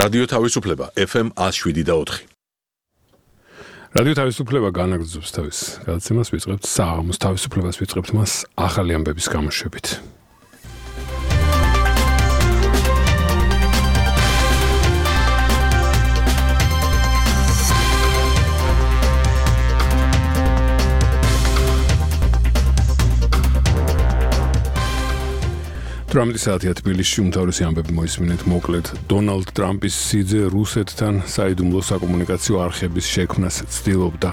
რადიო თავისუფლება FM 107.4. რადიო თავისუფლება განაგრძობს თავის გადაცემას, ვიწყებთ საღამოს თავისუფლებას, ვიწყებთ მას ახალი ამბების გამოშვებით. ტრამპის საათია თბილისში უმთავრესი ამბები მოისმინეთ მოკლედ. დონალდ ტრამპის სიძე რუსეთთან საიდუმლო საკომუნიკაციო არხების შექმნას ცდილობდა.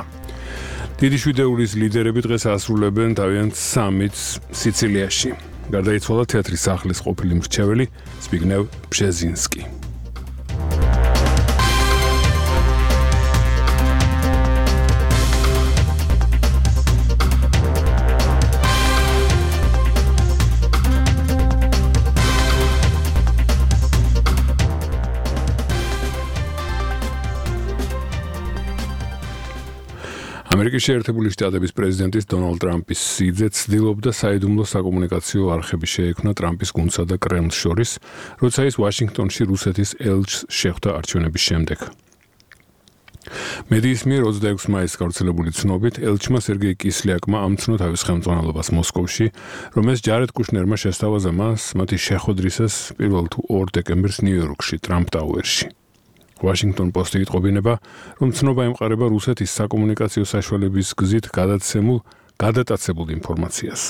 დიდი შვიდეულის ლიდერები დღეს ასრულებენ თავიანთ სამიტს სიცილიაში. გარდაიცვალა თეატრის სახლის ყოფილი მრჩეველი ზბიგნევ ბჟეზინსკი. ამერიკის შეერთებული შტატების პრეზიდენტის დონალდ ტრამპის სიძე ცდილობდა საიდუმლო საკომუნიკაციო არხების შეექმნა ტრამპის გუნდსა და კრემლს შორის, როცა ის ვაშინგტონში რუსეთის ელჩს შეხვდა არჩევნების შემდეგ. მედიის მიერ 26 მაისს გავრცელებული ცნობით, ელჩმა სერგეი კისლიაკმა ამცნო თავის ხელმძღვანელობას მოსკოვში, რომელს ჯარედ კუშნერმა შესთავაზა მას მათი შეხვედრისას 1 თუ 2 დეკემბერს ნიუ-იორკში, ტრამპ ტაუერში. Washington Post იტყობინება, რომ ცნობა ემყარება რუსეთის საკომუნიკაციო საშუალების გზით გადატაცებულ ინფორმაციას.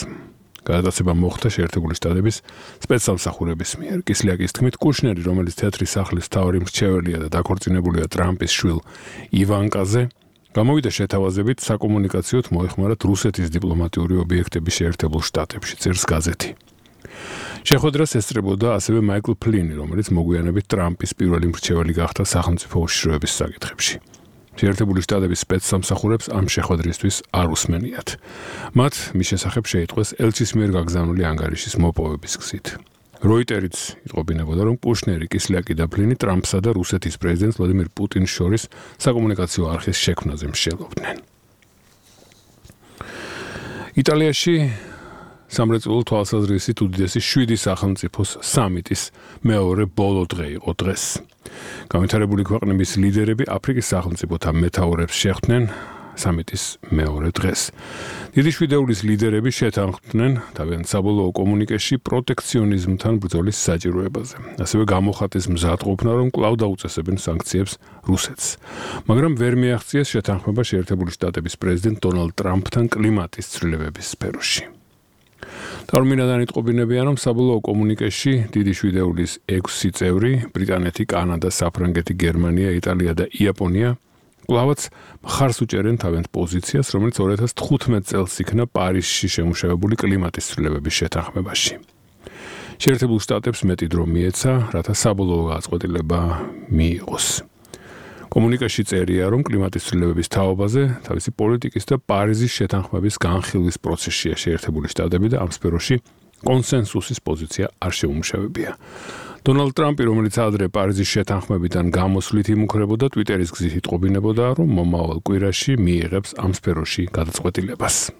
გადატაცება მოხდა შეერთებული შტატების სპეცსამსახურების მიერ. კისლიაკის თქმით, კუშნერი, რომელიც თეატრის სახლის მთავარი მრჩეველია და დაქორწინებულია ტრამპის შვილ ივანკაზე, გამოვიდა შეთავაზებით საკომუნიკაციოდ მოეხმარათ რუსეთის დიპლომატიური ობიექტების შეერთებულ შტატებში, წერს გაზეთი. შეხვედრას ესწრებოდა ასევე მაიკლ ფლინი, რომელიც მოგვიანებით ტრამპის პირველი მრჩეველი გახდა სახელმწიფო უშიშროების საკითხებში. შეერთებული შტატების სპეცსამსახურებს ამ შეხვედრისთვის არ უსმენიათ. მათ მის შესახებ შეიტყვეს ელჩის მიერ გაგზავნილი ანგარიშის მოპოვების გზით. როიტერიც იტყობინებოდა, რომ კუშნერი, კისლიაკი და ფლინი ტრამპსა და რუსეთის პრეზიდენტს ვლადიმირ პუტინს შორის საკომუნიკაციო არხის შექმნაზე მსჯელობდნენ. იტალიაში სამრეწველო თვალსაზრისით უდიდესი 7 სახელმწიფოს სამიტის მეორე ბოლო დღე იყო დღეს. განვითარებული ქვეყნების ლიდერები აფრიკის სახელმწიფოთა მეთაურებს შეხვდნენ სამიტის მეორე დღეს. დიდი შვიდეულის ლიდერები შეთანხმდნენ თავიანთ საბოლოო კომუნიკეში პროტექციონიზმთან ბრძოლის საჭიროებაზე. ასევე გამოხატეს მზადყოფნა, რომ კვლავ დაუწესებენ სანქციებს რუსეთს. მაგრამ ვერ მიაღწიეს შეთანხმება შეერთებული შტატების პრეზიდენტ დონალდ ტრამპთან კლიმატის ცვლილებების სფეროში. ტარმინადან იტყობინებიან, რომ საბოლოო კომუნიკეში დიდი შვიდეულის 6 წევრი, ბრიტანეთი, კანადა, საფრანგეთი, გერმანია, იტალია და იაპონია, კვლავაც მხარს უჭერენ თავიანთ პოზიციას, რომელიც 2015 წელს იქნა პარიზში შემუშავებული კლიმატის ცვლილებების შეთანხმებაში. შეერთებულ შტატებს მეტი დრო მიეცა, რათა საბოლოო გაწყვეტილება მიიღოს. კომუნიკაში წერია, რომ კლიმატის ცვლილებების თაობაზე თავისი პოლიტიკის და პარიზის შეთანხმების განხილვის პროცესშია შეერთებული შტატები და ამ სფეროში კონსენსუსის პოზიცია არ შეუმუშავებია. დონალდ ტრამპი, რომელიც ადრე პარიზის შეთანხმებიდან გამოსვლით იმუქრებოდა, ტვიტერის გზით იტყობინებოდა, რომ მომავალ კვირაში მიიღებს ამ სფეროში გადაწყვეტილებას.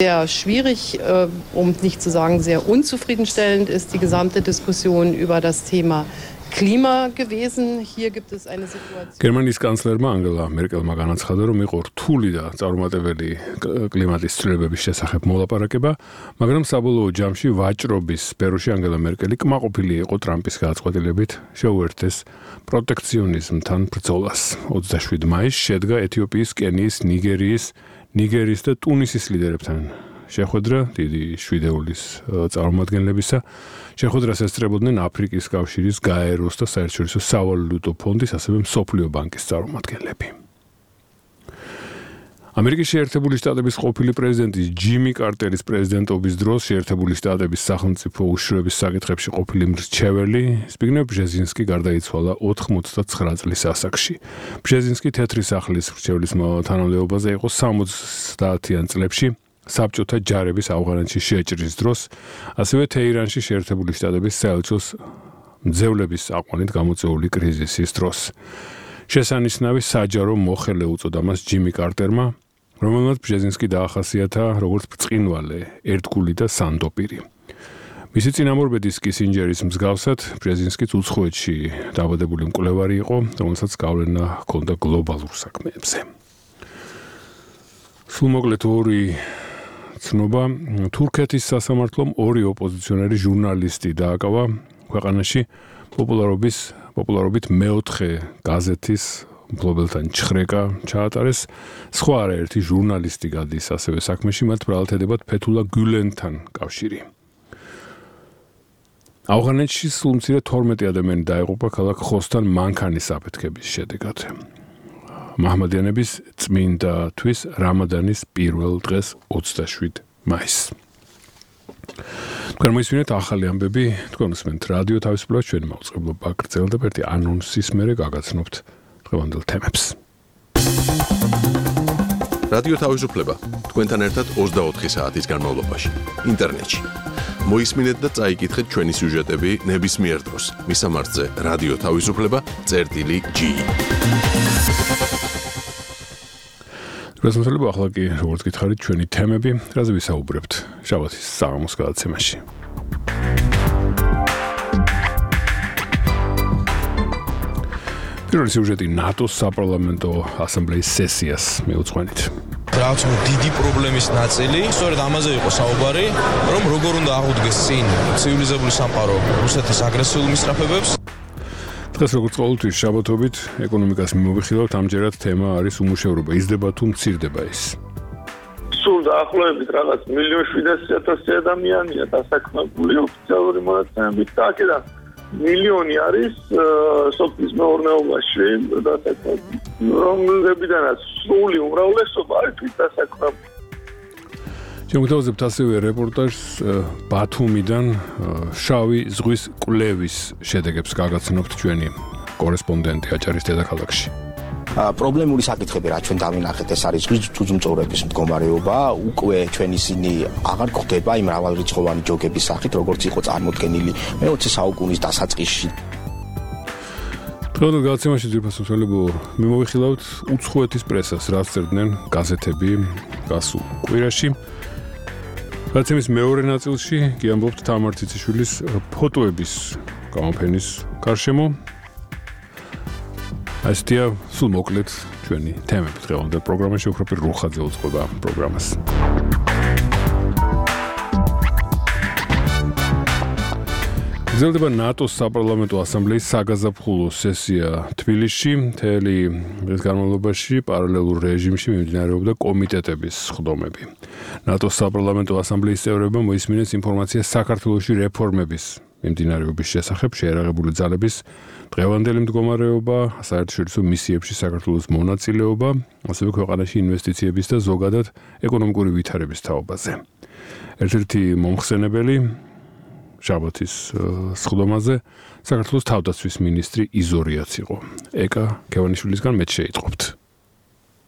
Sehr schwierig, um nicht zu sagen sehr unzufriedenstellend ist die gesamte Diskussion über das Thema Klima gewesen. Hier gibt es eine Situation. გერმანიის კანცლერმა ანგელა მერკელმა განაცხადა, რომ იყო რთული და წარუმატებელი კლიმატის ცვლილებების შესახებ მოლაპარაკება, მაგრამ საბოლოო ჯამში ვაჭრობის სფეროში ანგელა მერკელი კმაყოფილი იყო ტრამპის გადაწყვეტილებით შეუერთდეს პროტექციონიზმთან ბრძოლას. 27 მაისს შედგა ეთიოპიის, კენიის, ნიგერიის და ტუნისის ლიდერებთან შეხვედრა დიდი შვიდეულის წარმომადგენლებისა. შეხვედრას ესწრებოდნენ აფრიკის კავშირის, გაეროს და საერთაშორისო სავალუტო ფონდის, ასევე მსოფლიო ბანკის წარმომადგენლები. ამერიკის შეერთებული შტატების ყოფილი პრეზიდენტის ჯიმი კარტერის პრეზიდენტობის დროს შეერთებული შტატების სახელმწიფო უშიშროების საკითხებში ყოფილი მრჩეველი ზბიგნევ ბჟეზინსკი გარდაიცვალა 89 წლის ასაკში. ბჟეზინსკი თეთრი სახლის მრჩეველის თანამდებობაზე იყო 70-იან წლებში. საბჭოთა ჯარების ავღანეთში შეჭრის დროს, ასევე თეირანში შეერთებული შტატების საელჩოს მძევლების აყვანით გამოწვეული კრიზისის დროს. შესანიშნავი საჯარო მოხელე უწოდა მას ჯიმი კარტერმა, რომელმაც ბჟეზინსკი დაახასიათა როგორც ბრწყინვალე, ერთგული და სანდოპირი. მისი წინამორბედის კისინჯერის მსგავსად ბრეზინსკიც უცხოეთში დაბადებული მკვლევარი იყო, რომელსაც გავლენა ჰქონდა გლობალურ საქმეებზე. სულმოკლედ ორი ცნობა, თურქეთის სასამართლომ ორი ოპოზიციონერი ჟურნალისტი დააკავა ქვეყანაში პოპულარობით მეოთხე გაზეთის მფლობელთან ჩხრეკა ჩაატარეს. სხვა არაერთი ჟურნალისტი გადის ასევე საქმეში, მათ ბრალდებათ ფეთულა გულენთან კავშირი. ავღანეთში სულ მცირე 12 ადამიანი დაიღუპა ქალაქ ხოსთან მანქანის აფეთქების შედეგად. მაჰმადიანების წმინდა თვის რამადანის პირველ დღეს 27 მაისს. თქვენ მოისმინეთ ახალი ამბები, თქვენ უსმენთ რადიო თავისუფლება, ჩვენი მაუწყებლობა გრძელდება ერთი ანონსის მერე გაგაცნობთ დღევანდელ თემებს. რადიო თავისუფლება თქვენთან ერთად 24 საათის განმავლობაში ინტერნეტში. მოისმინეთ და წაიკითხეთ ჩვენი სიუჟეტები ნებისმიერ დროს. მისამართზე რადიო თავისუფლება.gi. გასამართლება ახლა კი როგორც გითხარით ჩვენი თემები, რაზე ვისაუბრებთ შაბათის საღამოს გადაცემაში. პირველი სიუჟეტი ნატოს საპარლამენტო ასამბლეის სესიას მიუძღვენით. რაც დიდი პრობლემის ნაწილი, სწორედ ამაზე იყო საუბარი, რომ როგორ უნდა აღუდგეს წინ ცივილიზებული სამყარო რუსეთის აგრესიულ მისწრაფებებს. დღეს როგორც ყოველთვის შაბათობით ეკონომიკას მიმოვიხილავთ, ამჯერად თემა არის უმუშევრობა. იზრდება თუ მცირდება ის? სულ დაახლოებით რაღაც 1,700,000 ადამიანია დასაქმებული ოფიციალური მონაცემებით და აქედან მილიონი არის სოფლის მეურნეობაში დასაქმებული, რომლებიდანაც სრული უმრავლესობა არის თვით დასაქმებული. შემოგთავაზებთ ასევე რეპორტაჟს ბათუმიდან შავი ზღვის კვლევის შედეგებს გაგაცნობთ ჩვენი კორესპონდენტი აჭარის დედაქალაქში. პრობლემური საკითხები რაც ჩვენ დავინახეთ, ეს არის ზღვის ძუძუმწოვრების მდგომარეობა, უკვე ჩვენ ისინი აღარ გვხვდება იმ მრავალრიცხოვანი ჯოგების სახით, როგორც იყო წარმოდგენილი მე-20 საუკუნის დასაწყისში. დღევანდელ გადაცემაში ძირფასმცველებო მიმოვიხილავთ უცხოეთის პრესას, რაც წერდნენ გაზეთები გასულ კვირაში. გადაცემის მეორე ნაწილში გიამბობთ თამარ ციციშვილის ფოტოების გამოფენის გარშემო. ასეთია სულ მოკლედ ჩვენი თემები დღევანდელ პროგრამაში. უფრო პირველ რუხაძე უძღვება პროგრამას. გრძელდება ნატოს საპარლამენტო ასამბლეის საგაზაფხულო სესია თბილისში. მთელი დღის განმავლობაში პარალელურ რეჟიმში მიმდინარეობდა კომიტეტების სხდომები. ნატოს საპარლამენტო ასამბლეის წევრებმა მოისმინეს ინფორმაცია საქართველოში რეფორმების მიმდინარეობის შესახებ, შეერაღებული ძალების დღევანდელი მდგომარეობა, საერთაშორისო მისიებში საქართველოს მონაწილეობა, ასევე ქვეყანაში ინვესტიციების და ზოგადად ეკონომიკური ვითარების თაობაზე. ერთ-ერთი მომხსენებელი შაბათის სხდომაზე საქართველოს თავდაცვის მინისტრი იზორიაც იყო. ეკა ქევანიშვილისგან მეც შეიტყობთ.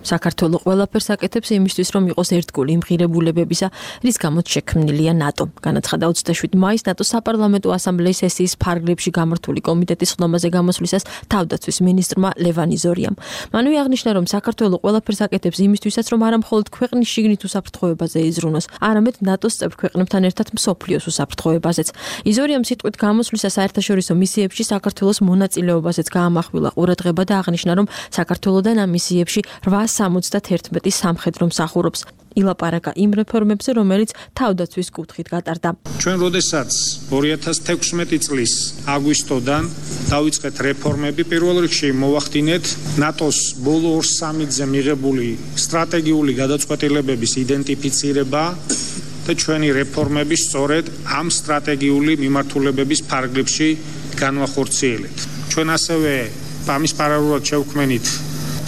საქართველო ყველაფერს აკეთებს იმისთვის, რომ იყოს ერთგული იმ ღირებულებებისა, რის გამოც შექმნილია ნატო. განაცხადა 27 მაისს ნატოს საპარლამენტო ასამბლეის სესიის ფარგლებში გამართული კომიტეტის სხდომაზე გამოსვლისას თავდაცვის მინისტრმა ლევან იზორიამ. მანვე აღნიშნა, რომ საქართველო ყველაფერს აკეთებს იმისთვისაც, რომ არა მხოლოდ ქვეყნის შიგნით უსაფრთხოებაზე იზრუნოს, არამედ ნატოს წევრ ქვეყნებთან ერთად მსოფლიოს უსაფრთხოებაზეც. იზორიამ სიტყვით გამოსვლისას საერთაშორისო მისიებში საქართველოს მონაწილეობაზეც გაამახვილა ყურადღება და აღნიშნა, რომ საქართველოდან ამ მისიებში 871 სამხედრო მსახურობს. ილაპარაკა იმ რეფორმებზე, რომელიც თავდაცვის კუთხით გატარდა. ჩვენ როდესაც 2016 წლის აგვისტოდან დავიწყეთ რეფორმები, პირველ რიგში მოვახდინეთ ნატოს ბოლო 2 სამიტზე მიღებული სტრატეგიული გადაწყვეტილებების იდენტიფიცირება და ჩვენი რეფორმები სწორედ ამ სტრატეგიული მიმართულებების ფარგლებში განვახორციელეთ. ჩვენ ასევე ამის პარალელურად შევქმნით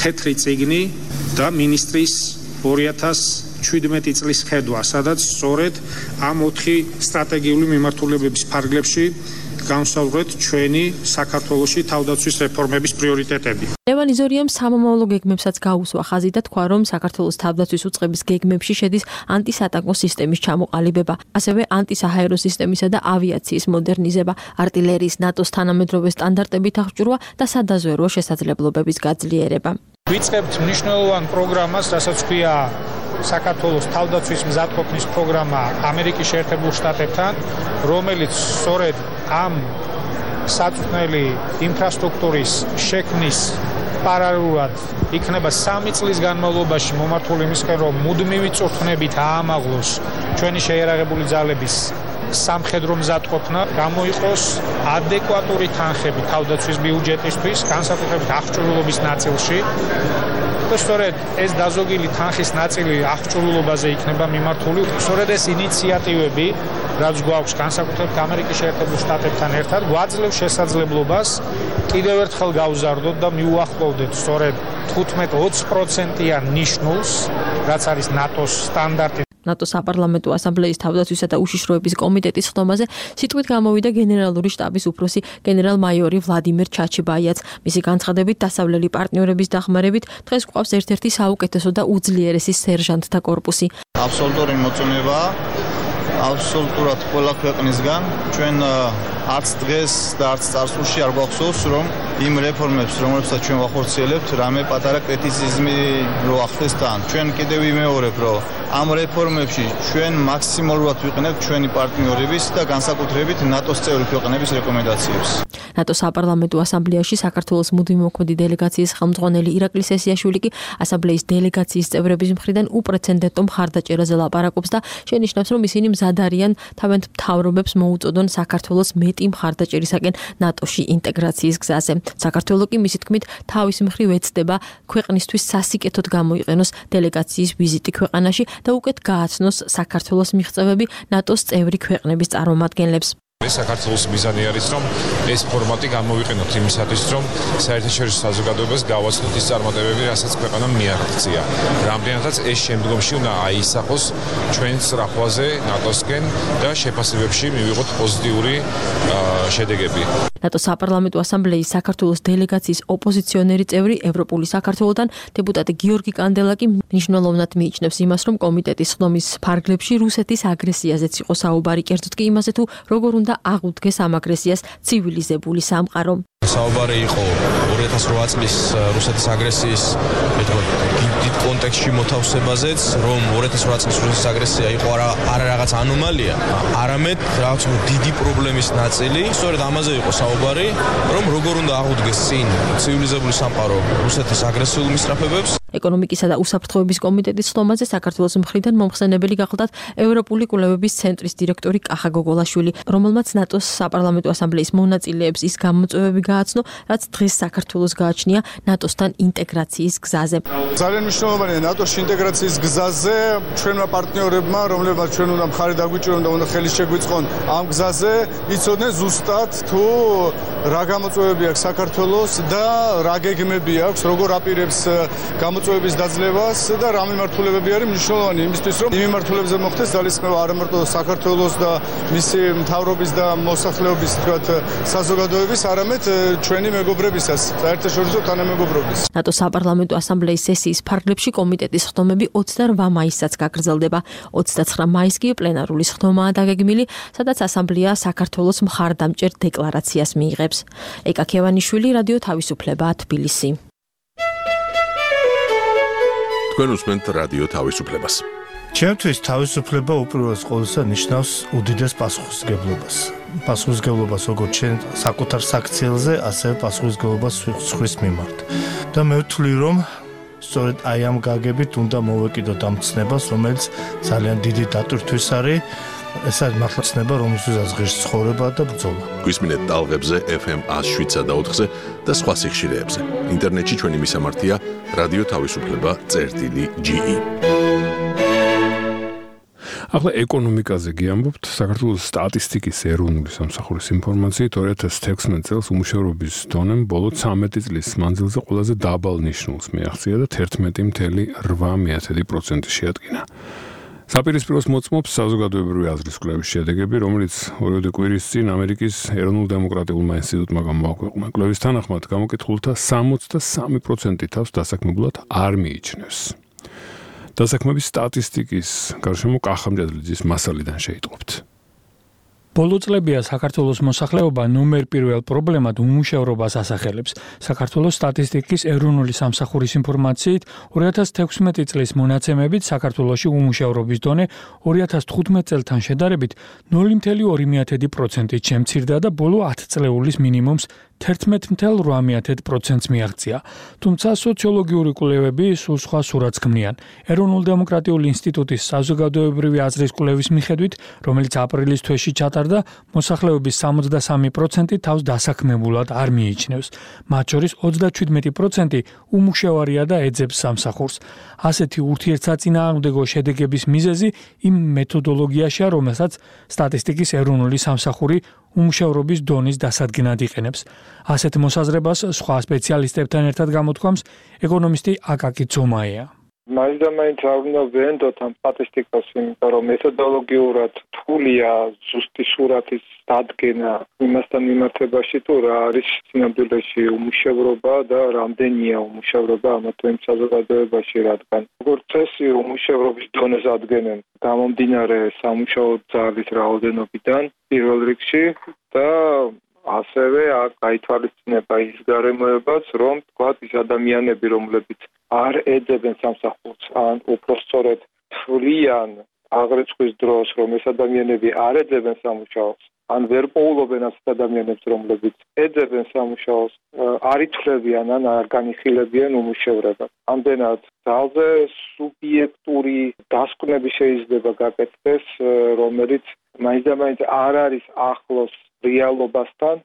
თეთრი წიგნი და მინისტრის 2017 წლის ხედვა, სადაც სწორედ ამ 4 სტრატეგიული მიმართულებების ფარგლებში განსაზღვრეთ ჩვენი საქართველოში თავდაცვის რეფორმების პრიორიტეტები. ლევან იზორიამ სამომავლო გეგმებსაც გაუსვა ხაზი და თქვა, რომ საქართველოს თავდაცვის უწყების გეგმებში შედის ანტისატანკო სისტემის ჩამოყალიბება, ასევე ანტისაჰაერო სისტემისა და ავიაციის მოდერნიზება, არტილერიის ნატოს თანამედროვე სტანდარტებით აღჭურვა და სადაზვერვო შესაძლებლობების გაძლიერება. ვიწყებთ მნიშვნელოვან პროგრამას, რასაც ქვია საქართველოს თავდაცვის მზადყოფნის პროგრამა ამერიკის შეერთებულ შტატებთან, რომელიც სწორედ ამ საწვრთნელი ინფრასტრუქტურის შექმნის პარალელურად იქნება 3 წლის განმავლობაში მომართული იმისკენ, რომ მუდმივი წვრთნებით აამაღლოს ჩვენი შეიარაღებული ძალების სამხედრო მზადყოფნა, გამოიყოს ადეკვატური თანხები თავდაცვის ბიუჯეტისთვის, განსაკუთრებით აღჭურვილობის ნაწილში. და სწორედ ეს დაზოგილი თანხის ნაწილი აღჭურვილობაზე იქნება მიმართული. სწორედ ეს ინიციატივები, რაც გვაქვს განსაკუთრებით ამერიკის შეერთებულ შტატებთან ერთად, გვაძლევს შესაძლებლობას კიდევ ერთხელ გავზარდოთ და მიუახლოვდეთ სწორედ 15-20%-იან ნიშნულს, რაც არის ნატოს სტანდარტი. ნატოს საპარლამენტო ასამბლეის თავდაცვისა და უშიშროების კომიტეტის ხდომაზე სიტყვით გამოვიდა გენერალური შტაბის უფროსი გენერალ-მაიორი ვლადიმერ ჩაჩიბაიაც. მისი განცხადებით, დასავლელი პარტნიორების დახმარებით დღეს გვყავს ერთ-ერთი საუკეთესო და უძლიერესი სერჟანტთა კორპუსი. აბსოლუტური მოწონება, აბსოლუტურად ყველა ქვეყნისგან ჩვენ არც დღეს და არც წარსულში არ გვახსოვს, რომ იმ რეფორმებს, რომლებსაც ჩვენ ვახორციელებთ, რამე პატარა კრიტიციზმი რო ახდეს თან. ჩვენ კიდევ ვიმეორებ, რომ ამ რეფორმებში ჩვენ მაქსიმალურად ვიყენებთ ჩვენი პარტნიორების და განსაკუთრებით ნატოს წევრი ქვეყნების რეკომენდაციებს. ნატოს საპარლამენტო ასამბლეაში საქართველოს მუდმივი მოქმედი დელეგაციის ხელმძღვანელი ირაკლი სესიაშვილი კი ასამბლეის დელეგაციის წევრების მხრიდან უპრეცედენტო მხარდაჭერაზე ლაპარაკობს და შენიშნავს, რომ ისინი მზად არიან თავიანთ მთავრობებს მოუწოდონ საქართველოს მეტი მხარდაჭერისაკენ ნატოში ინტეგრაციის გზაზე. საქართველო კი მისი თქმით თავის მხრივ ეცდება ქვეყნისთვის სასიკეთოდ გამოიყენოს დელეგაციის ვიზიტი ქვეყანაში და უკეთ გააცნოს საქართველოს მიღწევები ნატოს წევრი ქვეყნების წარმომადგენლებს. საქართველოს მიზანი არის, რომ ეს ფორმატი გამოვიყენოთ იმისათვის, რომ საერთაშორისო საზოგადოებას გავაცნოთ ის წარმატებები, რასაც ქვეყანამ მიაღწია. რამდენადაც ეს შემდგომში უნდა აისახოს ჩვენ სწრაფვაზე ნატოსკენ და შეფასებებში მივიღოთ პოზიტიური შედეგები. ნატოს საპარლამენტო ასამბლეის საქართველოს დელეგაციის ოპოზიციონერი წევრი ევროპული საქართველოდან დეპუტატი გიორგი კანდელა კი მნიშვნელოვნად მიიჩნევს იმას, რომ კომიტეტის ხდომის ფარგლებში რუსეთის აგრესიაზეც იყო საუბარი, კერძოდ კი იმაზე თუ როგორ უნდა აღუდგეს ამ აგრესიას ცივილიზებული სამყარო. საუბარი იყო 2008 წლის რუსეთის აგრესიის დიდ კონტექსტში მოთავსებაზეც, რომ 2008 წლის რუსეთის აგრესია იყო არა რაღაც ანომალია, არამედ რაღაც დიდი პრობლემის ნაწილი. სწორედ ამაზე იყო საუბარი, რომ როგორ უნდა აღუდგეს წინ ცივილიზებული სამყარო რუსეთის აგრესიულ მისწრაფებებს. ეკონომიკისა და უსაფრთხოების კომიტეტის ხდომაზე საქართველოს მხრიდან მომხსენებელი გახლდათ ევროპული კვლევების ცენტრის დირექტორი კახა გოგოლაშვილი, რომელმაც ნატოს საპარლამენტო ასამბლეის მონაწილეებს ის გამოწვევები გააცნო, რაც დღეს საქართველოს გააჩნია ნატოსთან ინტეგრაციის გზაზე. ძალიან მნიშვნელოვანია ნატოში ინტეგრაციის გზაზე ჩვენმა პარტნიორებმა, რომლებმაც ჩვენ უნდა მხარი დაგვიჭირონ და უნდა ხელი შეგვიწყონ ამ გზაზე, იცოდნენ ზუსტად თუ რა გამოწვევები აქვს საქართველოს და რა გეგმები აქვს, როგორ აპირებს მოწვევების დაძლევას და რა მიმართულებები არის მნიშვნელოვანი იმისთვის, რომ იმ მიმართულებებზე მოხდეს ძალისხმევა არა მარტო საქართველოს და მისი მთავრობის და მოსახლეობის, თქვათ, საზოგადოების, არამედ ჩვენი მეგობრებისას, საერთაშორისო თანამეგობრობის. ნატოს საპარლამენტო ასამბლეის სესიის ფარგლებში კომიტეტის ხდომები 28 მაისსაც გაგრძელდება. 29 მაისს კი პლენარული ხდომაა დაგეგმილი, სადაც ასამბლეა საქართველოს მხარდამჭერ დეკლარაციას მიიღებს. ეკა ქევანიშვილი, რადიო თავისუფლება, თბილისი. თქვენ უსმენთ რადიო თავისუფლებას. ჩემთვის თავისუფლება უპირველეს ყოვლისა ნიშნავს უდიდეს პასუხისმგებლობას. პასუხისმგებლობას როგორც ჩვენ საკუთარ საქციელზე, ასევე პასუხისმგებლობას სხვის მიმართ. და მე ვთვლი, რომ სწორედ აი ამ გაგებით უნდა მოვეკიდოთ ამ ცნებას, რომელიც ძალიან დიდი დატვირთვის არის. ეს არის მართლა ცნება, რომელსაც ღირს ცხოვრება და ბრძოლა. გვისმინეთ ტალღებზე FM 107.4-ზე და სხვა სიხშირეებზე. ინტერნეტში ჩვენი მისამართია რადიო თავისუფლება.ge. ახლა ეკონომიკაზე გიამბობთ. საქართველოს სტატისტიკის ეროვნული სამსახურის ინფორმაციით 2016 წელს უმუშევრობის დონემ ბოლო 13 წლის მანძილზე ყველაზე დაბალ ნიშნულს მიაღწია და 11.8% შეადგინა. საპირისპიროს მოწმობს საზოგადოებრივი აზრის კვლევის შედეგები, რომელიც ორივე კვირის წინ ამერიკის ეროვნულ დემოკრატიულმა ინსტიტუტმა გამოაქვეყნა. კვლევის თანახმად გამოკითხულთა 63% თავს დასაქმებულად არ მიიჩნევს. დასაქმების სტატისტიკის გარშემო კახა მჭედლიძის მასალიდან შეიტყობთ. ბოლო წლებია საქართველოს მოსახლეობა ნომერ პირველ პრობლემად უმუშევრობას ასახელებს. საქართველოს სტატისტიკის ეროვნული სამსახურის ინფორმაციით 2016 წლის მონაცემებით საქართველოში უმუშევრობის დონე 2015 წელთან შედარებით 0.2%-ით შემცირდა და ბოლო 10 წლეულის მინიმუმს 11.8%-ს მიაღწია. თუმცა სოციოლოგიური კვლევები სულ სხვა სურათს ქმნიან. ეროვნულ-დემოკრატიული ინსტიტუტის საზოგადოებრივი აზრის კვლევის მიხედვით, რომელიც აპრილის თვეში ჩატარდა, მოსახლეობის 63% თავს დასაქმებულად არ მიიჩნევს. მათ შორის 37% უმუშევარია და ეძებს სამსახურს. ასეთი ურთიერთსაწინააღმდეგო შედეგების მიზეზი იმ მეთოდოლოგიაშია, რომელსაც სტატისტიკის ეროვნული სამსახური უმუშევრობის დონის დასადგენად იყენებს. ასეთ მოსაზრებას სხვა სპეციალისტებთან ერთად გამოთქვამს ეკონომისტი აკაკი ცომაია. მაინც და მაინც არ უნდა ვენდოთ ამ სტატისტიკას, იმიტომ რომ მეთოდოლოგიურად რთულია ზუსტი სურათის დადგენა იმასთან მიმართებაში, თუ რა არის სინამდვილეში უმუშევრობა და რამდენია უმუშევრობა ამა თუ იმ საზოგადოებაში, რადგან როგორც წესი უმუშევრობის დონეს ადგენენ გამომდინარე სამუშაო ძალის რაოდენობიდან პირველ რიგში და ასევე გაითვალისწინება ის გარემოებაც, რომ თქვათ ის ადამიანები, რომლებიც არ ეძებენ სამსახურს, ან უпростоრედ თვლიან აღრიცხვის დროს, რომ ეს ადამიანები არ ეძებენ სამუშაოს, ან ვერ პოულობენ ასეთ ადამიანებს, რომლებიც ეძებენ სამუშაოს, არ ითვლებიან ან არ განიხილებიან უმუშევრობას. ამდენად ძალზე სუბიექტური დასკვნები შეიძლება გაკეთდეს, რომელიც მაინც და მაინც არ არის ახლოს რეალობასთან.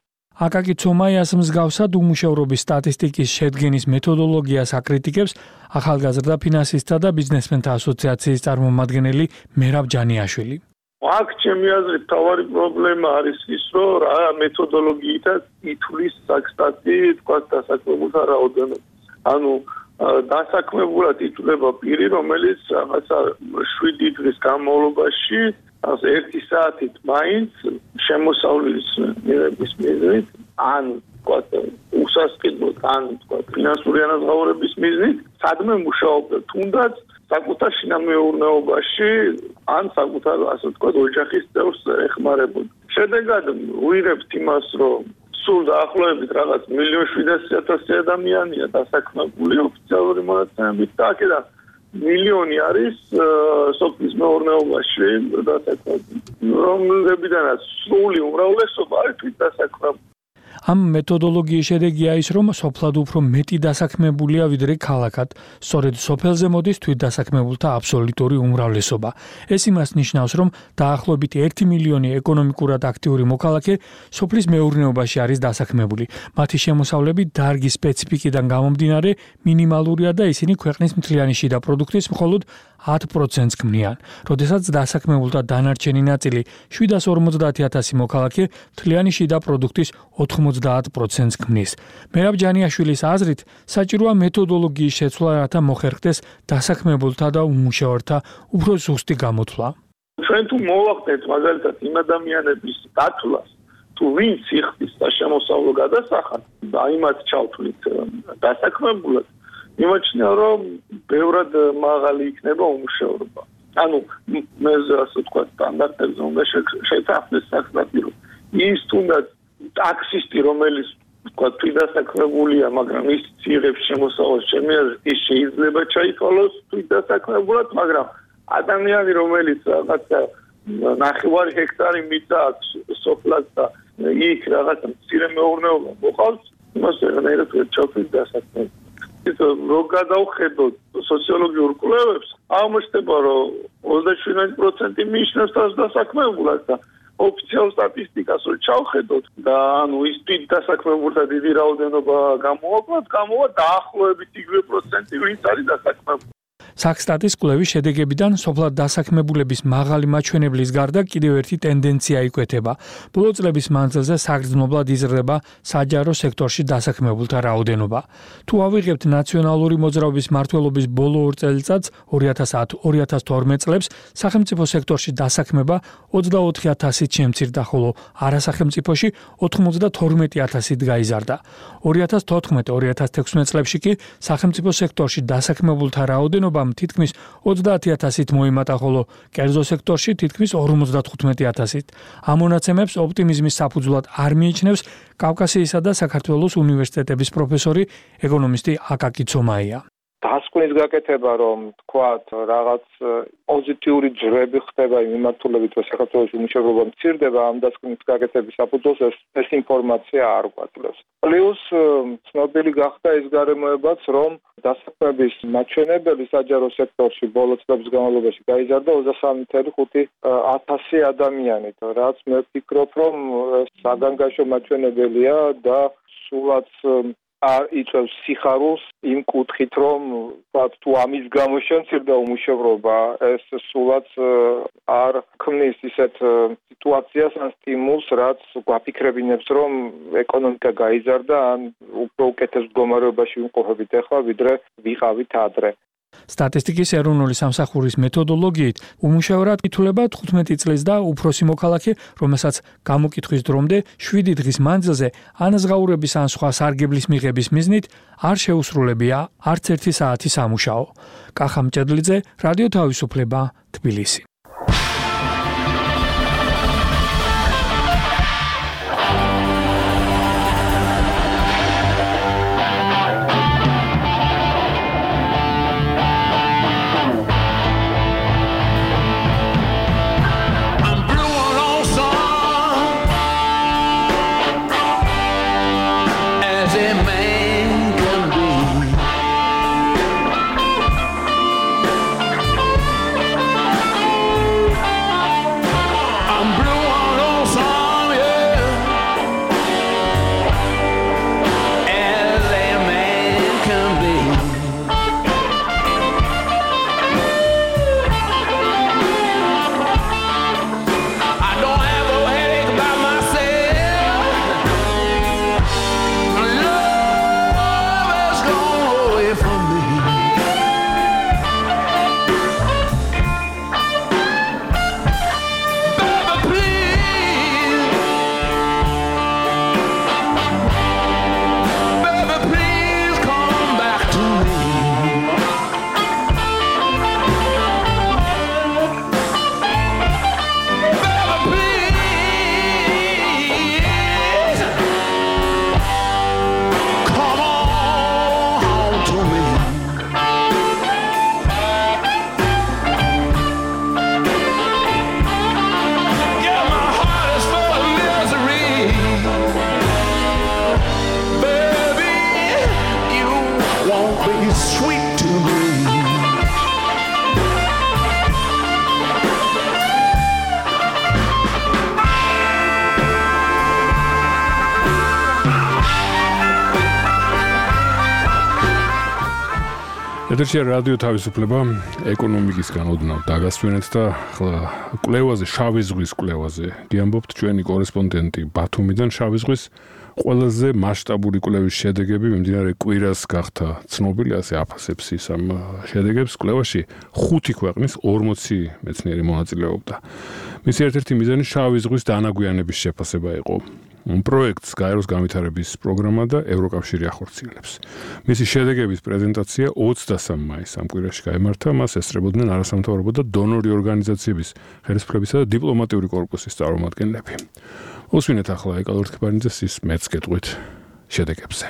აკაკი ცომაიას მსგავსად უმუშევრობის სტატისტიკის შედგენის მეთოდოლოგიას აკრიტიკებს ახალგაზრდა ფინანსისტთა და ბიზნესმენთა ასოციაციის წარმომადგენელი მერაბ ჯანიაშვილი. აქ ჩემი აზრით თავარი პრობლემა არის ის, რომ რა მეთოდოლოგიითაც ითვლის საკსტატი თქვათ დასაქმებულთა რაოდენობას. ანუ დასაქმებულად ითვლება პირი, რომელიც რაღაცა 7 დღის განმავლობაში 1 საათით მაინც შემოსავლის მიღების მიზნით, ან თქვათ უსასყიდლოდ, ან თქვათ ფინანსური ანაზღაურების მიზნით, სადმე მუშაობდა, თუნდაც საკუთარ შინამეურნეობაში, ან საკუთარ, ასე ვთქვათ, ოჯახის წევრს ეხმარებოდა. შედეგად ვიღებთ იმას, რომ სულ დაახლოებით რაღაც 1.7 მილიონ ადამიანია დასაქმებული ოფიციალური მონაცემებით და აქედან მილიონი არის სოფლის მეურნეობაში დასაქმებული, რომლებიდანაც სრული უმრავლესობა არის თვით დასაქმებული. ამ მეთოდოლოგიის შედეგია ის, რომ სოფლად უფრო მეტი დასაქმებულია ვიდრე ქალაქად. სწორედ სოფელზე მოდის თვით დასაქმებულთა აბსოლუტური უმრავლესობა. ეს იმას ნიშნავს, რომ დაახლოებით 1 მილიონი ეკონომიკურად აქტიური მოქალაქე სოფლის მეურნეობაში არის დასაქმებული. მათი შემოსავლები დარგის სპეციფიკიდან გამომდინარე მინიმალურია და ისინი ქვეყნის მთლიანი შიდა პროდუქტის მხოლოდ 10%-ს ქმნიან. როდესაც დასაქმებულთა დანარჩენი ნაწილი 750,000 მოქალაქე მთლიანი შიდა პროდუქტის 90%-ს ქმნის. მერაბ ჯანიაშვილის აზრით, საჭიროა მეთოდოლოგიის შეცვლა, რათა მოხერხდეს დასაქმებულთა და უმუშევართა უფრო ზუსტი გამოთვლა. ჩვენ თუ მოვახდენთ მაგალითად იმ ადამიანების დათვლას, თუ ვინც იხდის სამოსავლო გადასახადს და იმათ ჩავთვლით დასაქმებულად, იმაჩნია, რომ ბევრად მაღალი იქნება უმუშევრობა. ანუ მე ასე ვთქვათ, სტანდარტებზე უნდა შეთანხმდეს საკსტატი, რომ ის თუნდაც ტაქსისტი, რომელიც ვთქვათ, თვით დასაქმებულია, მაგრამ ის იღებს შემოსავალს, ჩემი აზრით, ის შეიძლება ჩაითვალოს თვით დასაქმებულად, მაგრამ ადამიანი, რომელიც რაღაცა 9 ჰექტარი მიწა აქვს სოფლად და იქ რაღაცა მცირე მეურნეობა მოყავს, იმას ვეღარად ვერ ჩავთვლით დასაქმებულად. რო გადავხედოთ სოციოლოგიურ კვლევებს, აღმოჩნდება, რომ 27% მიიჩნევს თავს დასაქმებულად და ოფიციალურ სტატისტიკას რო ჩავხედოთ და ანუ ის თვით დასაქმებულთა დიდი რაოდენობა გამოვა დაახლოებით იგივე პროცენტი, ვინც არის დასაქმებული. საქსტატის კვლევის შედეგებიდან სოფლად დასაქმებულების მაღალი მაჩვენებლის გარდა კიდევ ერთი ტენდენცია იკვეთება. ბოლო წლების მანძილზე საგრძნობლად იზრდება საჯარო სექტორში დასაქმებულთა რაოდენობა. თუ ავიღებთ ნაციონალური მოძრაობის მმართველობის ბოლო 2 წელიწადს 2010-2012 წლებს, სახელმწიფო სექტორში დასაქმება 24,000-ით შემცირდა, ხოლო არასახელმწიფოში 92,000-ით გაიზარდა. 2014-2016 წლებში კი სახელმწიფო სექტორში დასაქმებულთა რაოდენობა თითქმის 30,000-ით მოიმატა, ხოლო კერძო სექტორში თითქმის 55,000-ით. ამ მონაცემებს ოპტიმიზმის საფუძვლად არ მიიჩნევს კავკასიისა და საქართველოს უნივერსიტეტების პროფესორი, ეკონომისტი აკაკი ცომაია. დასკვნის გაკეთება, რომ თქვათ რაღაც პოზიტიური ძრები ხდება იმ მიმართულებით, რომ საქართველოს უმუშევრობა მცირდება, ამ დასკვნის გაკეთების საფუძველს ეს ინფორმაცია არ გვაძლევს. პლუს ცნობილი გახდა ის გარემოებაც, რომ დასაქმების მაჩვენებელი საჯარო სექტორში ბოლო წლების განმავლობაში გაიზარდა 23,500 ადამიანით, რაც მე ვფიქრობ, რომ საგანგაშო მაჩვენებელია და სულაც არ იწევს სიხარულს იმ კუთხით, რომ თუ ამის გამო შემცირდა უმუშევრობა, ეს სულაც არ ქმნის ისეთ სიტუაციას ან სტიმულს, რაც გვაფიქრებინებს, რომ ეკონომიკა გაიზარდა ან უფრო უკეთეს მდგომარეობაში ვიმყოფებით ახლა, ვიდრე ვიყავით ადრე. სტატისტიკის ეროვნული სამსახურის მეთოდოლოგიით უმუშევრად ითვლება 15 წლის და უფროსი მოქალაქე, რომელსაც გამოკითხვის დრომდე 7 დღის მანძილზე ანაზღაურების ან სხვა სარგებლის მიღების მიზნით არ შეუსრულებია არც 1 საათი სამუშაო. კახა მჭედლიძე, რადიო თავისუფლება, თბილისი. ეთერში რადიო თავისუფლება ეკონომიკისგან ოდნავ დაგასვენეთ და კვლევაზე, შავი ზღვის კვლევაზე გიამბობთ ჩვენი კორესპონდენტი ბათუმიდან. შავი ზღვის ყველაზე მასშტაბური კვლევის შედეგები მიმდინარე კვირას გახდა ცნობილი, ასე აფასებს ის ამ შედეგებს. კვლევაში 5 ქვეყნის 40 მეცნიერი მონაწილეობდა. მისი ერთ-ერთი მიზანი შავი ზღვის დანაგვიანების შეფასება იყო. პროექტს გაეროს განვითარების პროგრამა და ევროკავშირი ახორციელებს. მისი შედეგების პრეზენტაცია 23 მაისს ამ კვირაში გაიმართა. მას ესწრებოდნენ არასამთავრობო და დონორი ორგანიზაციების ხელისუფლებისა და დიპლომატიური კორპუსის წარმომადგენლები. უსვინეთ ახლა ეკალორ თქებარიძეს ის მეც გეტყვით შედეგებზე.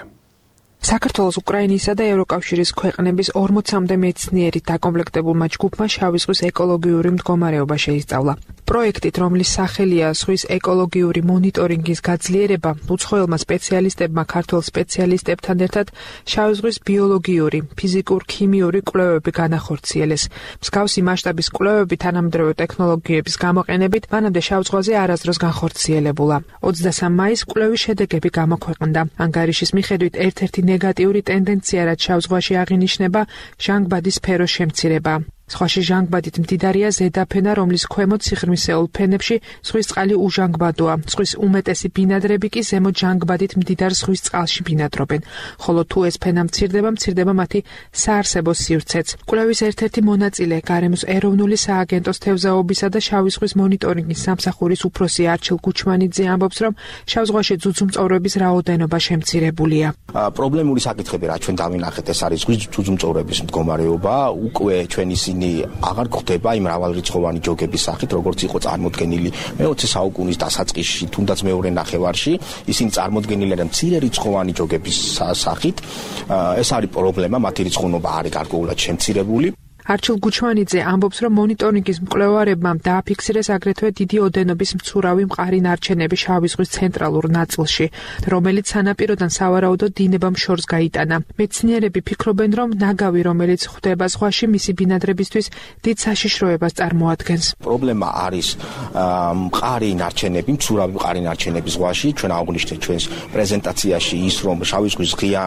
საქართველოს, უკრაინისა და ევროკავშირის ქვეყნების 40-მდე მეცნიერით დაკომპლექტებულმა ჯგუფმა შავი ზღვის ეკოლოგიური მდგომარეობა შეისწავლა. პროექტით, რომლის სახელია ზღვის ეკოლოგიური მონიტორინგის გაძლიერება, უცხოელმა სპეციალისტებმა ქართველ სპეციალისტებთან ერთად შავი ზღვის ბიოლოგიური, ფიზიკურ-ქიმიური კვლევები განახორციელეს. მსგავსი მასშტაბის კვლევები თანამედროვე ტექნოლოგიების გამოყენებით მანამდე შავ ზღვაზე არასდროს განხორციელებულა. 23 მაისს კვლევის შედეგები გამოქვეყნდა. ანგარიშის მიხედვით ერთ-ერთი ნეგატიური ტენდენცია, რაც შავ ზღვაში აღინიშნება, ჟანგბადის სფეროს შემცირება. სხვაში ჟანგბადით მდიდარია ზედაფენა, რომლის ქვემოთ სიღრმისეულ ფენებში ზღვის წყალი უჟანგბადოა. ზღვის უმეტესი ბინადრები კი ზემოთ ჟანგბადით მდიდარ ზღვის წყალში ბინადრობენ. ხოლო თუ ეს ფენა მცირდება მათი საარსებო სივრცეც. კვლევის ერთ-ერთი მონაწილე, გარემოს ეროვნული სააგენტოს თევზაობისა და შავი ზღვის მონიტორინგის სამსახურის უფროსი არჩილ გუჩმანიძე ამბობს, რომ შავ ზღვაში ძუძუმწოვრების რაოდენობა შემცირებულია. პრობლემური საკითხები, რა ჩვენ დავინახეთ, ეს არის ზღვის ძუძუმწოვრების მდგომარეობა. უკვე ჩვენ ისინი აღარ გვხვდება იმ მრავალრიცხოვანი ჯოგების სახით, როგორც იყო წარმოდგენილი მე-20 საუკუნის დასაწყისში, თუნდაც მეორე ნახევარში. ისინი წარმოდგენილი არიან მცირე რიცხოვანი ჯოგების სახით. ეს არის პრობლემა, მათი რიცხოვნობა არის გარკვეულად შემცირებული. არჩილ გუჩმანიძე ამბობს, რომ მონიტორინგის მკვლევარებმა დააფიქსირეს აგრეთვე დიდი ოდენობის მცურავი მყარი ნარჩენები შავი ზღვის ცენტრალურ ნაწილში, რომელიც სანაპიროდან სავარაუდოდ დინებამ შორს გაიტანა. მეცნიერები ფიქრობენ, რომ ნაგავი, რომელიც ხვდება ზღვაში, მისი ბინადრებისთვის დიდ საშიშროებას წარმოადგენს. პრობლემა არის მყარი ნარჩენები, მცურავი მყარი ნარჩენები ზღვაში. ჩვენ აღვნიშნეთ ჩვენს პრეზენტაციაში ის, რომ შავი ზღვის ღია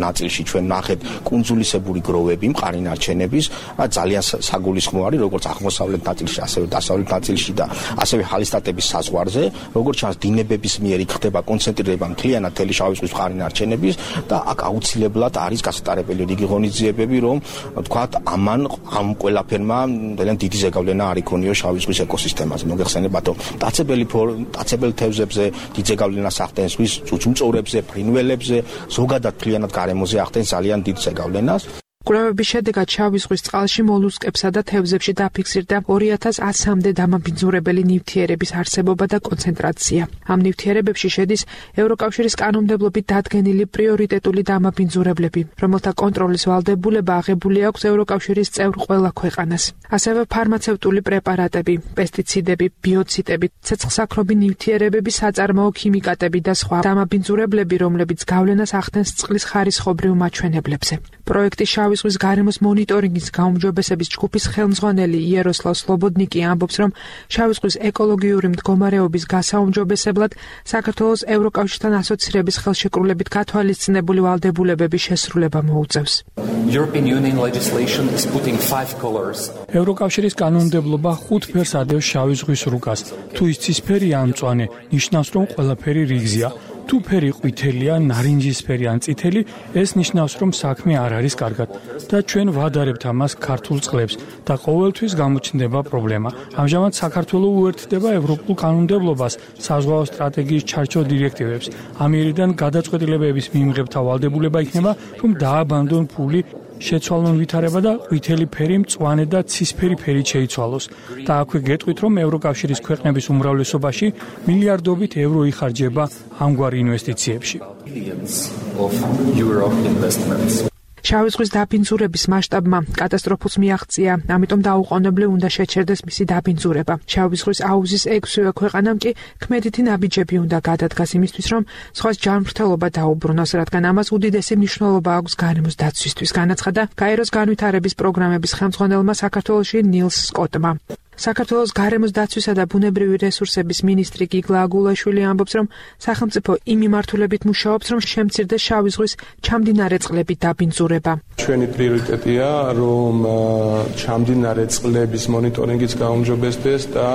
ნაწილში ჩვენ ნახეთ კუნძულისებური გროვები მყარი ნარჩენების. ძალიან საგულისხმო არის როგორც აღმოსავლეთ ნაწილში, ასევე დასავლეთ ნაწილში და ასევე ჰალისტატების საზღვარზე, როგორც ჩანს დინებების მიერ იქ ხდება კონცენტრირება მთლიანად მთელი შავი ზღვის მყარი ნარჩენების და აქ აუცილებლად არის გასატარებელი რიგი ღონისძიებები, რომ თქვათ ამან ამ ყველაფერმა ძალიან დიდი ზეგავლენა არ იქონიო შავი ზღვის ეკოსისტემაზე. მოგეხსენებათ, რომ მტაცებელ თევზებზე დიდ ზეგავლენას ახდენს, ზღვის ძუძუმწოვრებზე, ფრინველებზე, ზოგადად მთლიანად გარემოზე ახდენს ძალიან დიდ ზეგავლენას. კვლევების შედეგად შავი ზღვის წყალში მოლუსკებსა და თევზებში დაფიქსირდა 2100-მდე დამაბინძურებელი ნივთიერების არსებობა და კონცენტრაცია. ამ ნივთიერებებში შედის ევროკავშირის კანონმდებლობით დადგენილი პრიორიტეტული დამაბინძურებლები, რომელთა კონტროლის ვალდებულება აღებული აქვს ევროკავშირის წევრ ყველა ქვეყანას. ასევე ფარმაცევტული პრეპარატები, პესტიციდები, ბიოციდები, ცეცხლსაქრობი ნივთიერებები, საწარმოო ქიმიკატები და სხვა დამაბინძურებლები, რომლებიც გავლენას ახდენს წყლის ხარისხობრივ მაჩვენებლებზე. პროექტი შავი ზღვის გარემოს მონიტორინგის გაუმჯობესების ჯგუფის ხელმძღვანელი იეროსლავ სლობოდნიკი ამბობს, რომ შავი ზღვის ეკოლოგიური მდგომარეობის გასაუმჯობესებლად საქართველოს ევროკავშირთან ასოცირების ხელშეკრულებით გათვალისწინებული ვალდებულებების შესრულება მოუწევს. ევროკავშირის კანონმდებლობა 5 ფერს ადევს შავი ზღვის რუკას. თუ ის ცისფერია ან მწვანე, ნიშნავს, რომ ყველაფერი რიგზია. თუ ფერი ყვითელია, ნარინჯისფერი ან წითელი, ეს ნიშნავს, რომ საქმე არ არის კარგად და ჩვენ ვადარებთ ამას ქართულ წყლებს და ყოველთვის გამოჩნდება პრობლემა. ამჟამად საქართველო უერთდება ევროპულ კანონმდებლობას, საზღვაო სტრატეგიის ჩარჩო დირექტივებს. ამიერიდან გადაწყვეტილებების მიმღებთა ვალდებულება იქნება, რომ დააბანდონ ფული შეცვალონ ვითარება და ყვითელი ფერი მწვანე და ცისფერი ფერით შეიცვალოს. და აქვე გეტყვით, რომ ევროკავშირის ქვეყნების უმრავლესობაში მილიარდობით ევრო იხარჯება ამგვარ ინვესტიციებში. შავი ზღვის დაბინძურების მასშტაბმა კატასტროფულს მიაღწია, ამიტომ დაუყოვნებლივ უნდა შეჩერდეს მისი დაბინძურება. შავი ზღვის აუზის 6-ვე ქვეყანამ კი ქმედითი ნაბიჯები უნდა გადადგას იმისთვის, რომ ზღვას ჯანმრთელობა დაუბრუნოს, რადგან ამას უდიდესი მნიშვნელობა აქვს გარემოს დაცვისთვის, განაცხადა გაეროს განვითარების პროგრამების ხელმძღვანელმა საქართველოში ნილს სკოტმა. საქართველოს გარემოს დაცვისა და ბუნებრივი რესურსების მინისტრი გიგლა აგულაშვილი ამბობს, რომ სახელმწიფო იმ მიმართულებით მუშაობს, რომ შემცირდეს შავი ზღვის ჩამდინარე წყლების დაბინძურება. ჩვენი პრიორიტეტია, რომ ჩამდინარე წყლების მონიტორინგიც გაუმჯობესდეს და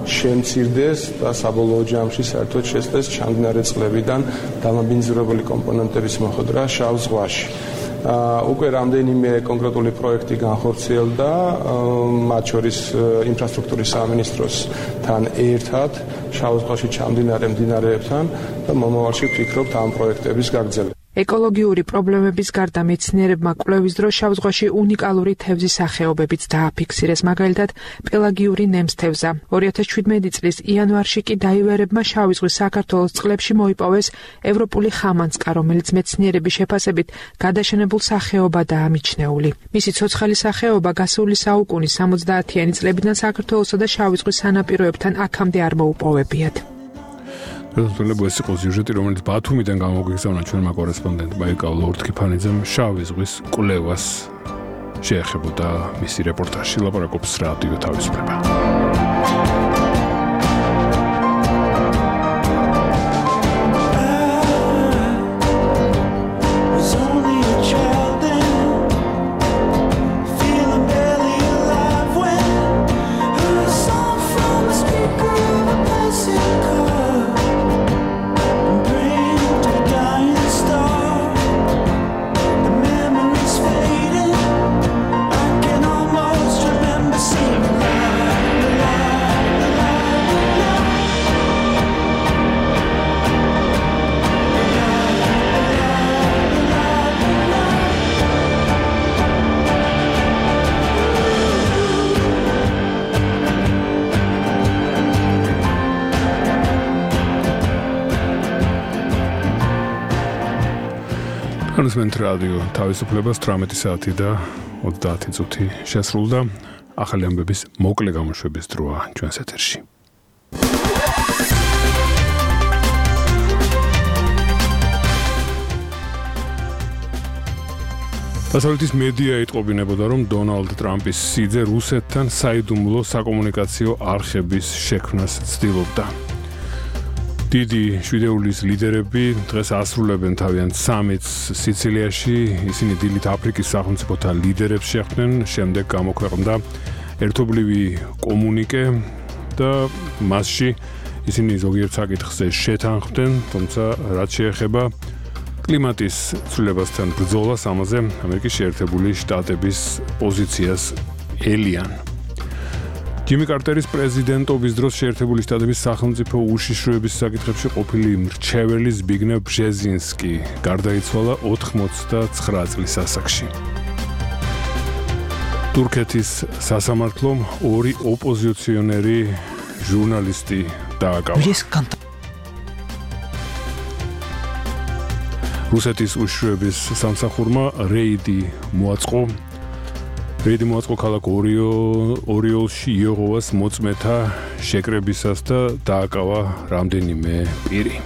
შემცირდეს და საბოლოო ჯამში საერთოდ შეძლეს ჩამდინარე წყლებიდან დამაბინძურებელი კომპონენტების მოხვედრა შავ ზღვაში. უკვე რამდენიმე კონკრეტული პროექტი განხორციელდა, მათ შორის ინფრასტრუქტურის სამინისტროსთან ერთად, შავ ზღვაში ჩამდინარე მდინარეებთან და მომავალში ვფიქრობთ ამ პროექტების გაგრძელებას. ეკოლოგიური პრობლემების გარდა მეცნიერებმა კვლევის დროს შავ ზღვაში უნიკალური თევზის სახეობებიც დააფიქსირეს, მაგალითად პელაგიური ნემსთევზა. 2017 წლის იანვარში კი დაივერებმა შავი ზღვის საქართველოს წყლებში მოიპოვეს ევროპული ხამანწკა, რომელიც მეცნიერების შეფასებით გადაშენებულ სახეობადაა მიჩნეული. მისი ცოცხალი სახეობა გასული საუკუნის 70-იანი წლებიდან საქართველოსა და შავი ზღვის სანაპიროებთან აქამდე არ მოუპოვებიათ. ეს იყო სიუჟეტი, რომელიც ბათუმიდან გამოგვიგზავნა ჩვენმა კორესპონდენტმა ეკავლ ორთქიფანიძემ შავი ზღვის კვლევას შეეხებოდა მისი რეპორტაჟი. ლაპარაკობს რადიო თავისუფლება. Was only a child then, feeling barely alive. განსმენთ რადიო თავისუფლებას 18 საათი და 30 წუთი შესრულდა. ახალი ამბების მოკლე გამოშვების დროა ჩვენს ეთერში. დასავლეთის მედია იტყობინებოდა, რომ დონალდ ტრამპის სიძე რუსეთთან საიდუმლო საკომუნიკაციო არხების შექმნას ცდილობდა. დიდი შვიდეულის ლიდერები დღეს ასრულებენ თავიანთ სამიტს სიცილიაში. ისინი დილით აფრიკის სახელმწიფოთა ლიდერებს შეხვდნენ, შემდეგ გამოქვეყნდა ერთობლივი კომუნიკე და მასში ისინი ზოგიერთ საკითხზე შეთანხმდნენ, თუმცა რაც შეეხება კლიმატის ცვლილებასთან ბრძოლას, ამაზე ამერიკის შეერთებული შტატების პოზიციას ელიან. ჯიმი კარტერის პრეზიდენტობის დროს შეერთებული შტატების სახელმწიფო უშიშროების საკითხებში ყოფილი მრჩეველი ზბიგნევ ბჟეზინსკი გარდაიცვალა 89 წლის ასაკში. თურქეთის სასამართლომ ორი ოპოზიციონერი ჟურნალისტი დააკავა. რუსეთის უშიშროების სამსახურმა რეიდი მოაწყო ქალაქ ორიოლში იოღოვას მოწმეთა შეკრებისას და დააკავა რამდენიმე პირი.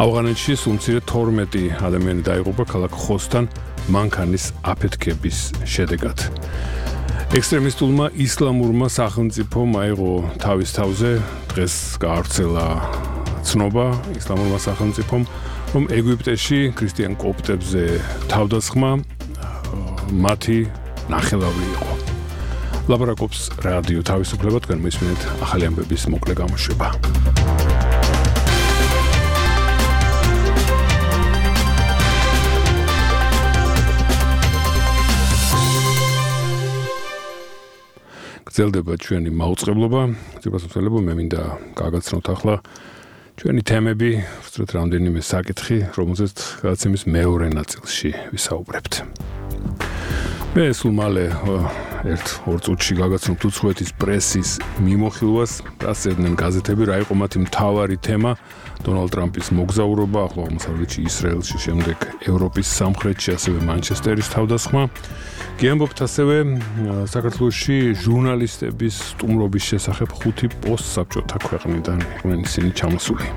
ავღანეთში სულ მცირე 12 ადამიანი დაიღუპა ქალაქ ხოსთან მანქანის აფეთქების შედეგად. ექსტრემისტულმა ისლამურმა სახელმწიფომ აიღო თავის თავზე, დღეს გაავრცელა ცნობა ისლამურმა სახელმწიფომ, რომ ეგვიპტეში ქრისტიან კოპტებზე თავდასხმა მათი ნახელავი იყო. ლაპარაკობს რადიო თავისუფლება, თქვენ მისმენთ ახალი ამბების მოკლე გამოშვება. გრძელდება ჩვენი მაუწყებლობა, ძებასმსელებო, მე მინდა გაგაცნოთ ახლა ჩვენი თემები, ვსწრეთ რამდენიმე საკითხი, რომელზეც გადაცემის მეორე ნაწილში ვისაუბრებთ. მე სულ მალე 1-2 წუთში გაგაცნობთ უცხოეთის პრესის მიმოხილვას, რას წერდნენ გაზეთები, რა იყო მათი მთავარი თემა, დონალდ ტრამპის მოგზაურობა, ახლო აღმოსავლეთში, ისრაელში, შემდეგ ევროპის სამხრეთში, ასევე მანჩესტერის თავდასხმა. გიამბობთ ასევე საქართველოში ჟურნალისტების სტუმრობის შესახებ 5 პოსტსაბჭოთა ქვეყნიდან იყვნენ ისინი ჩამოსული.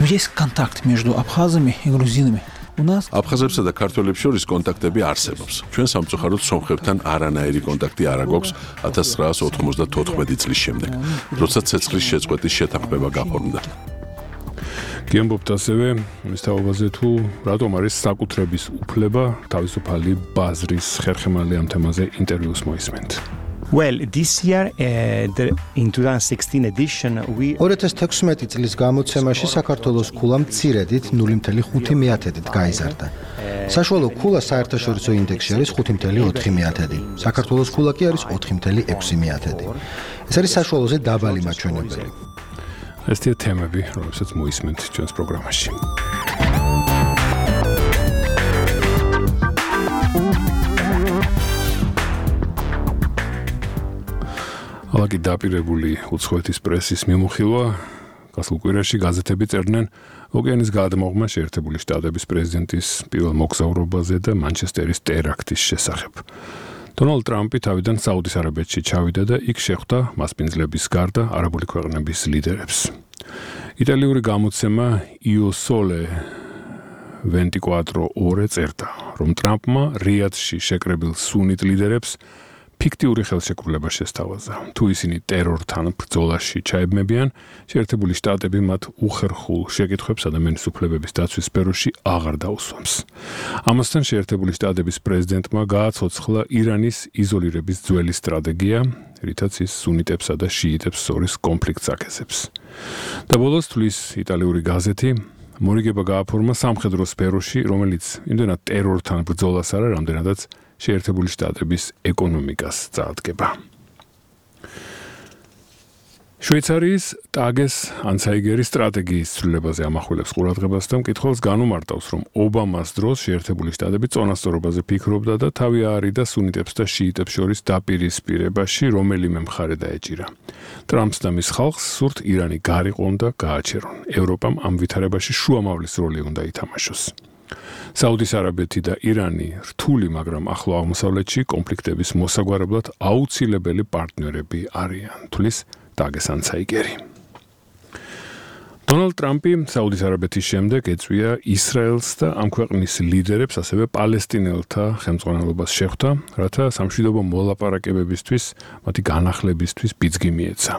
Есть контакт между абхазами и грузинами. აფხაზებსა და ქართველებს შორის კონტაქტები არსებობს. ჩვენ სამწუხაროდ სომხებთან არანაირი კონტაქტი არ აქვს 1994 წლის შემდეგ, როდესაც ცეცხლის შეწყვეტის შეთანხმება გაფორმდა. გიამბობთ ასევე მის თაობაზე თუ რატომ არის საკუთრების უფლება თავისუფალი ბაზრის ხერხემალი ამ თემაზე ინტერვიუს მოისმენთ. Well, this year in 2016 edition 2016 წლის გამოცემაში საქართველოს ქულა მცირედით 0.5%-ით გაიზარდა. საშუალო ქულა საერთაშორისო ინდექსში არის 5.4%. საქართველოს ქულა კი არის 4.6%. ეს არის საშუალოზე დაბალი მაჩვენებელი. ესეთი თემები, რომელსაც მოისმენთ ჩვენს პროგრამაში. ალაგი დაპირებული უცხოეთის პრესის მიმოხილვა, გასულ კვირაში გაზეთები წერდნენ ოკეანის გადამოღმა შეერთებული შტატების პრეზიდენტის პირველ მოგზაურობაზე და მანჩესტერის ტერაქტის შესახებ. დონალდ ტრამპი თავიდან საუდის არაბეთში ჩავიდა და იქ შეხვდა მასპინძლების გარდა არაბული ქვეყნების ლიდერებს. იტალიური გამოცემა io sole 24 ore წერდა, რომ ტრამპმა რიადში შეკრებილ სუნით ლიდერებს ფიქტიური ხელშეკრულება შესთავაზა. თუ ისინი ტერორთან ბრძოლაში ჩაებმებიან, შეერთებული შტატები მათ უხერხულ შეკითხვებს ადამიანის უფლებების დაცვის სფეროში აღარ დაუსვამს. ამასთან შეერთებული შტატების პრეზიდენტმა გააცოცხლა ირანის იზოლირების ძველი სტრატეგია, რითაც ის სუნიტებსა და შიიტებს შორის კონფლიქტს აკეთებს. და ბოლოს თვლის იტალიური გაზეთი, მორიგება გააფორმა სამხედრო სფეროში, რომელიც იმდენად ტერორთან ბრძოლას არა, რამდენადაც შეერთებული შტატების ეკონომიკას წაადგება. შვეიცარიის ტაგეს ანცაიგერის სტრატეგიის ცვლილებაზე ამახვილებს ყურადღებას და მკითხველს განუმარტავს, რომ ობამას დროს შეერთებული შტატები წონასწორობაზე ფიქრობდა და თავი აარიდა სუნიტებს და შიიტებს შორის დაპირისპირებაში, რომელიმე მხარე დაეჭირა. ტრამპს და მის ხალხს სურთ ირანი გარიყვონ და გააჩერონ. ევროპამ ამ ვითარებაში შუამავლის როლი უნდა ითამაშოს. საუდის არაბეთი და ირანი რთული, მაგრამ ახლო აღმოსავლეთში კონფლიქტების მოსაგვარებლად აუცილებელი პარტნიორები არიან. თulis ტაგეს ანცაიგერი. დონალდ ტრამპი საუდის არაბეთის შემდეგ ეწვია ისრაელს და ამ ქვეყნის ლიდერებს, ასევე პალესტინელთა ხელმძღვანელობას შეხვდა, რათა სამშვიდობო მოლაპარაკებებისთვის, მათი განახლებისთვის ბიძგი მიეცა.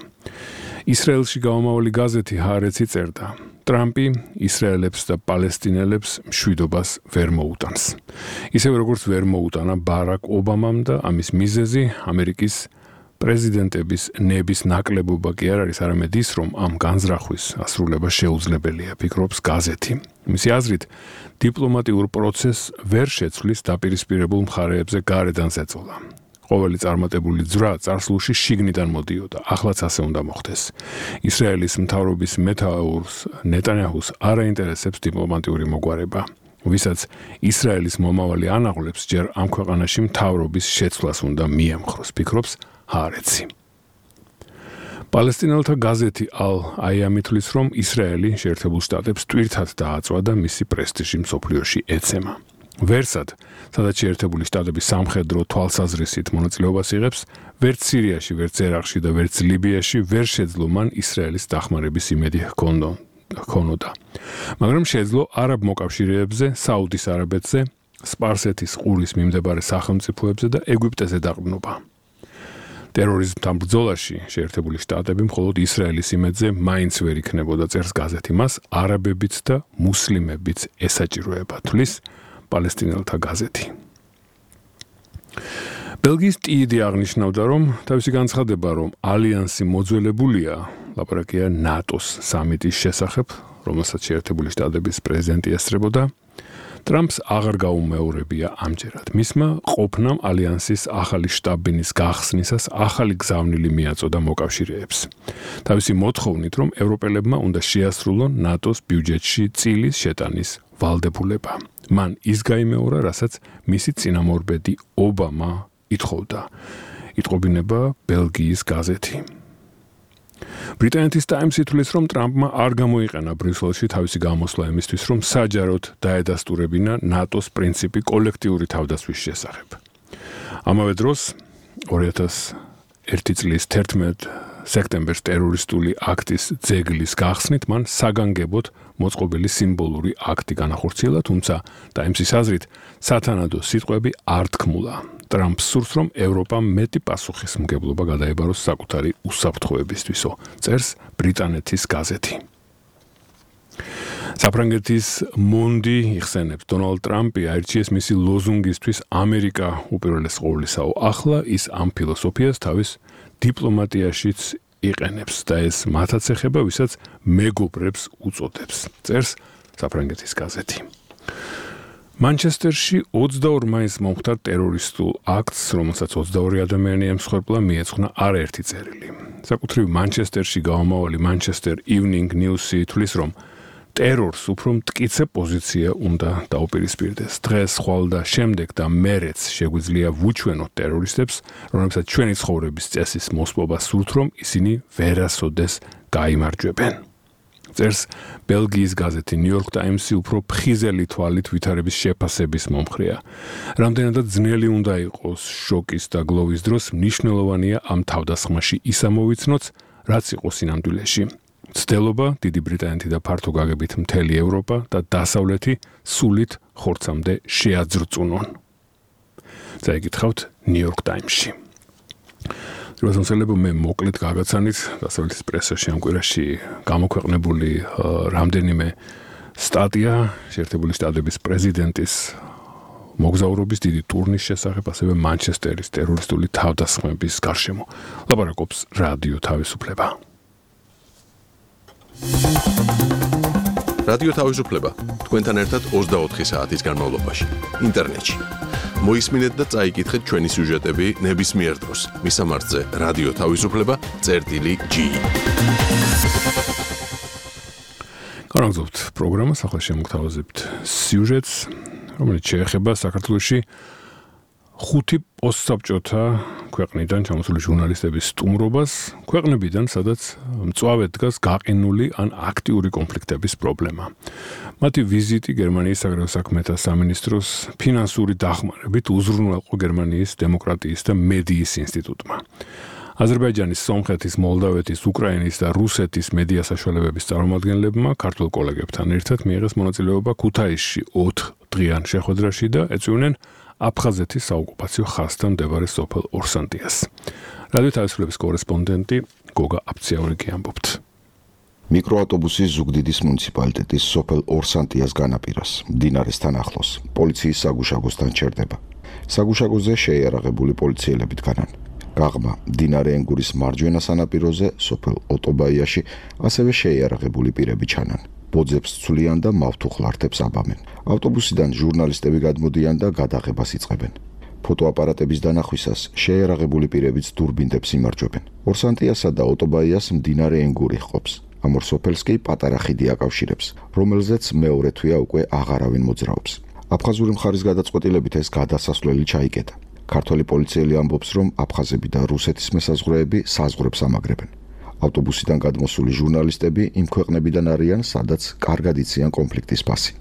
ისრაელში გამომავალი გაზეთი ჰარეცი წერდა: ტრამპი ისრაელებს და პალესტინელებს მშვიდობას ვერ მოუტანს. ისევე როგორც ვერ მოუტანა ბარაკ ობამამ და ამის მიზეზი ამერიკის პრეზიდენტების ნების ნაკლებობა კი არ არის, არამედ ის, რომ ამ განზრახვის ასრულება შეუძლებელია, ფიქრობს გაზეთი. მისი აზრით, დიპლომატიურ პროცესს ვერ შეცვლის დაპირისპირებულ მხარეებზე გარედან ზეწოლა. ყოველი წარმატებული ძვრა წარსულში შიგნიდან მოდიოდა, ახლაც ასე უნდა მოხდეს. ისრაელის მთავრობის მეთაურს ნეტანიაჰუს არ აინტერესებს დიპლომატიური მოგვარება. ვისაც ისრაელის მომავალი ანაღლებს, ჯერ ამ ქვეყანაში მთავრობის შეცვლას უნდა მიემხროს, ფიქრობს ჰარეცი. პალესტინელთა გაზეთი ალ-აიამი თვლის, რომ ისრაელი შეერთებულ შტატებს ტვირთად დააწვა და მისი პრესტიჟი მსოფლიოში ეცემა. ვერსად, სადაც შეერთებული შტატები სამხედრო თვალსაზრისით მონაწილეობას იღებს, ვერც სირიაში, ვერც ერაყში და ვერც ლიბიაში ვერ შეძლო მან ისრაელის დახმარების იმედი ჰქონოდა. მაგრამ შეძლო არაბ მოკავშირეებზე, საუდის არაბეთზე, სპარსეთის ყურის მიმდებარე სახელმწიფოებზე და ეგვიპტეზე დაყრდნობა. ტერორიზმთან ბრძოლაში შეერთებული შტატები მხოლოდ ისრაელის იმედზე მაინც ვერ იქნებოდა, წერს გაზეთი. მას არაბებიც და მუსლიმებიც ესაჭიროება, თulis პალესტინელთა გაზეთი. ბელგიის ტიიდი აღნიშნავდა, რომ თავისი განცხადება, რომ ალიანსი მოძველებულია, ლაპარაკია ნატოს სამიტის შესახებ, რომელსაც შეერთებული შტატების პრეზიდენტი ესწრებოდა, ტრამპს აღარ გაუმეორებია ამჯერად. მისმა ყოფნამ ალიანსის ახალი შტაბ-ბინის გახსნისას ახალი გზავნილი მიაწოდა მოკავშირეებს. თავისი მოთხოვნით, რომ ევროპელებმა უნდა შეასრულონ ნატოს ბიუჯეტში წილის შეტანის ვალდებულება. მან ის გაიმეორა, რასაც მისი წინამორბედი ობამა ითხოვდა. იტყობინება ბელგიის გაზეთი. ბრიტანეთის ტაიმსი თვლის, რომ ტრამპმა არ გამოიყენა ბრიუსელში თავისი გამოსვლა იმისთვის, რომ საჯაროდ დაედასტურებინა ნატოს პრინციპი კოლექტიური თავდასხმის შესახებ. ამავე დროს 2001 წლის 11 სექტემბერს ტერორისტული აქტის ძეგლის გახსნით მან საგანგებოდ მოწყობილი სიმბოლური აქტი განახორციელა, თუმცა ტაიმსის აზრით სათანადო სიტყვები არ თქმულა. ტრამპს სურს, რომ ევროპამ მეტი პასუხისმგებლობა გადაებაროს საკუთარი უსაფრთხოებისთვისო, წერს ბრიტანეთის გაზეთი. საფრანგეთის მონდი იხსენებს, დონალდ ტრამპი აირჩიეს მისი ლოზუნგისთვის ამერიკა უპირველეს ყოვლისაო. ახლა ის ამ ფილოსოფიას თავის დიპლომატიაშიც იყენებს და ეს მათაც ეხება, ვისაც მეგობრებს უწოდებს, წერს საფრანგეთის გაზეთი. მანჩესტერში 22 მაისს მომხდარ ტერორისტულ აქტს, რომელსაც 22 ადამიანი ემსხვერპლა, მიეძღვნა არაერთი წერილი. საკუთრივ მანჩესტერში გამომავალი Manchester Evening News-ი თვლის, რომ ტერორს უფრო მტკიცე პოზიცია უნდა დაუპირისპირდეს. დღეს, ხვალ და შემდეგ და მერეც შეგვიძლია ვუჩვენოთ ტერორისტებს, რომლებსაც ჩვენი ცხოვრების წესის მოსპობა სურთ, რომ ისინი ვერასოდეს გაიმარჯვებენ. წერს ბელგიის გაზეთი New York Times-ი უფრო ფხიზელი თვალით ვითარების შეფასების მომხრეა. რამდენადაც ძნელი უნდა იყოს შოკის და გლოვის დროს, მნიშვნელოვანია ამ თავდასხმაში ის ამოვიცნოთ, რაც იყო სინამდვილეში. ცდელობა, დიდი ბრიტანეთი და ფართო გაგებით მთელი ევროპა და დასავლეთი სულით ხორცამდე შეაძრწუნონ. წაიკითხავთ New York Times-ში. როდესაც მე მოკლედ გაგაცანით დასავლეთის პრესაში ამ კვირაში გამოქვეყნებული რამდენიმე სტატია შეერთებული შტატების პრეზიდენტის მოგზაურობის დიდი ტურნის შესახებ, ასევე მანჩესტერის ტერორისტული თავდასხმების გარშემო. ლაპარაკობს რადიო თავისუფლება. რადიო თავისუფლება თქვენთან ერთად 24 საათის განმავლობაში ინტერნეტში მოისმინეთ და წაიკითხეთ ჩვენი სიუჟეტები ნებისმიერ დროს. მისამართზე რადიო თავისუფლება წერტილი G. განაგზავნებთ პროგრამას, ახლა შემოგთავაზებთ სიუჟეტს, რომელიც შეეხება საქართველოში 5 პოსტსაბჭოთა ქვეყნიდან ჩამოსული ჟურნალისტების სტუმრობას, ქვეყნებიდან, სადაც მწვავედ დგას გაყინული ან აქტიური კონფლიქტების პრობლემა. მათი ვიზიტი გერმანიის საგარეო საქმეთა სამინისტროს ფინანსური დახმარებით უზრუნველყო გერმანიის დემოკრატიის და მედიის ინსტიტუტმა. აზერბაიჯანის, სომხეთის, მოლდავეთის, უკრაინის და რუსეთის მედია საშუალებების წარმომადგენლებმა ქართულ კოლეგებთან ერთად მიიღეს მონაწილეობა ქუთაისში 4 დღიან შეხვედრაში და ეწვივნენ აფხაზეთის საოკუპაციო ხაზთან მდებარე სოფელ ორსანტიას. რადიო თავისუფლების კორესპონდენტი გოგა აფციაურიკი ამბობთ. მიკროავტობუსის ზუგდიდის მუნიციპალიტეტის სოფელ ორსანტიას განაპირას, მდინარესთან ახლოს, პოლიციის საგუშაგოსთან ჩერდება. საგუშაგოზე შეიარაღებული პოლიციელები დგანან. გაღმა მდინარე ენგურის მარჯვენა სანაპიროზე, სოფელ ოტობაიაში, ასევე შეიარაღებული პირები ჩანან. ბოძებს ცვლიან და მავთუხლართებს აბამენ. ავტობუსიდან ჟურნალისტები გადმოდიან და გადაღებას იწყებენ. ფოტოაპარატების დანახვისას შეიარაღებული პირებიც დურბინდებს იმარჯვებენ. ორსანტიასა და ოტობაიას მდინარე ენგური ჰყოფს. ამ ორ სოფელს კი პატარა ხიდი აკავშირებს, რომელზეც მეორე თვეა უკვე აღარავინ მოძრაობს. აფხაზური მხარის გადაწყვეტილებით ეს გადასასვლელი ჩაიკეტა. ქართველი პოლიციელი ამბობს, რომ აფხაზები და რუსეთის მესაზღვრეები საზღვრებს ამაგრებენ. ავტობუსიდან გადმოსული ჟურნალისტები იმ ქვეყნებიდან არიან, სადაც კარგად იციან კონფლიქტის ფასი.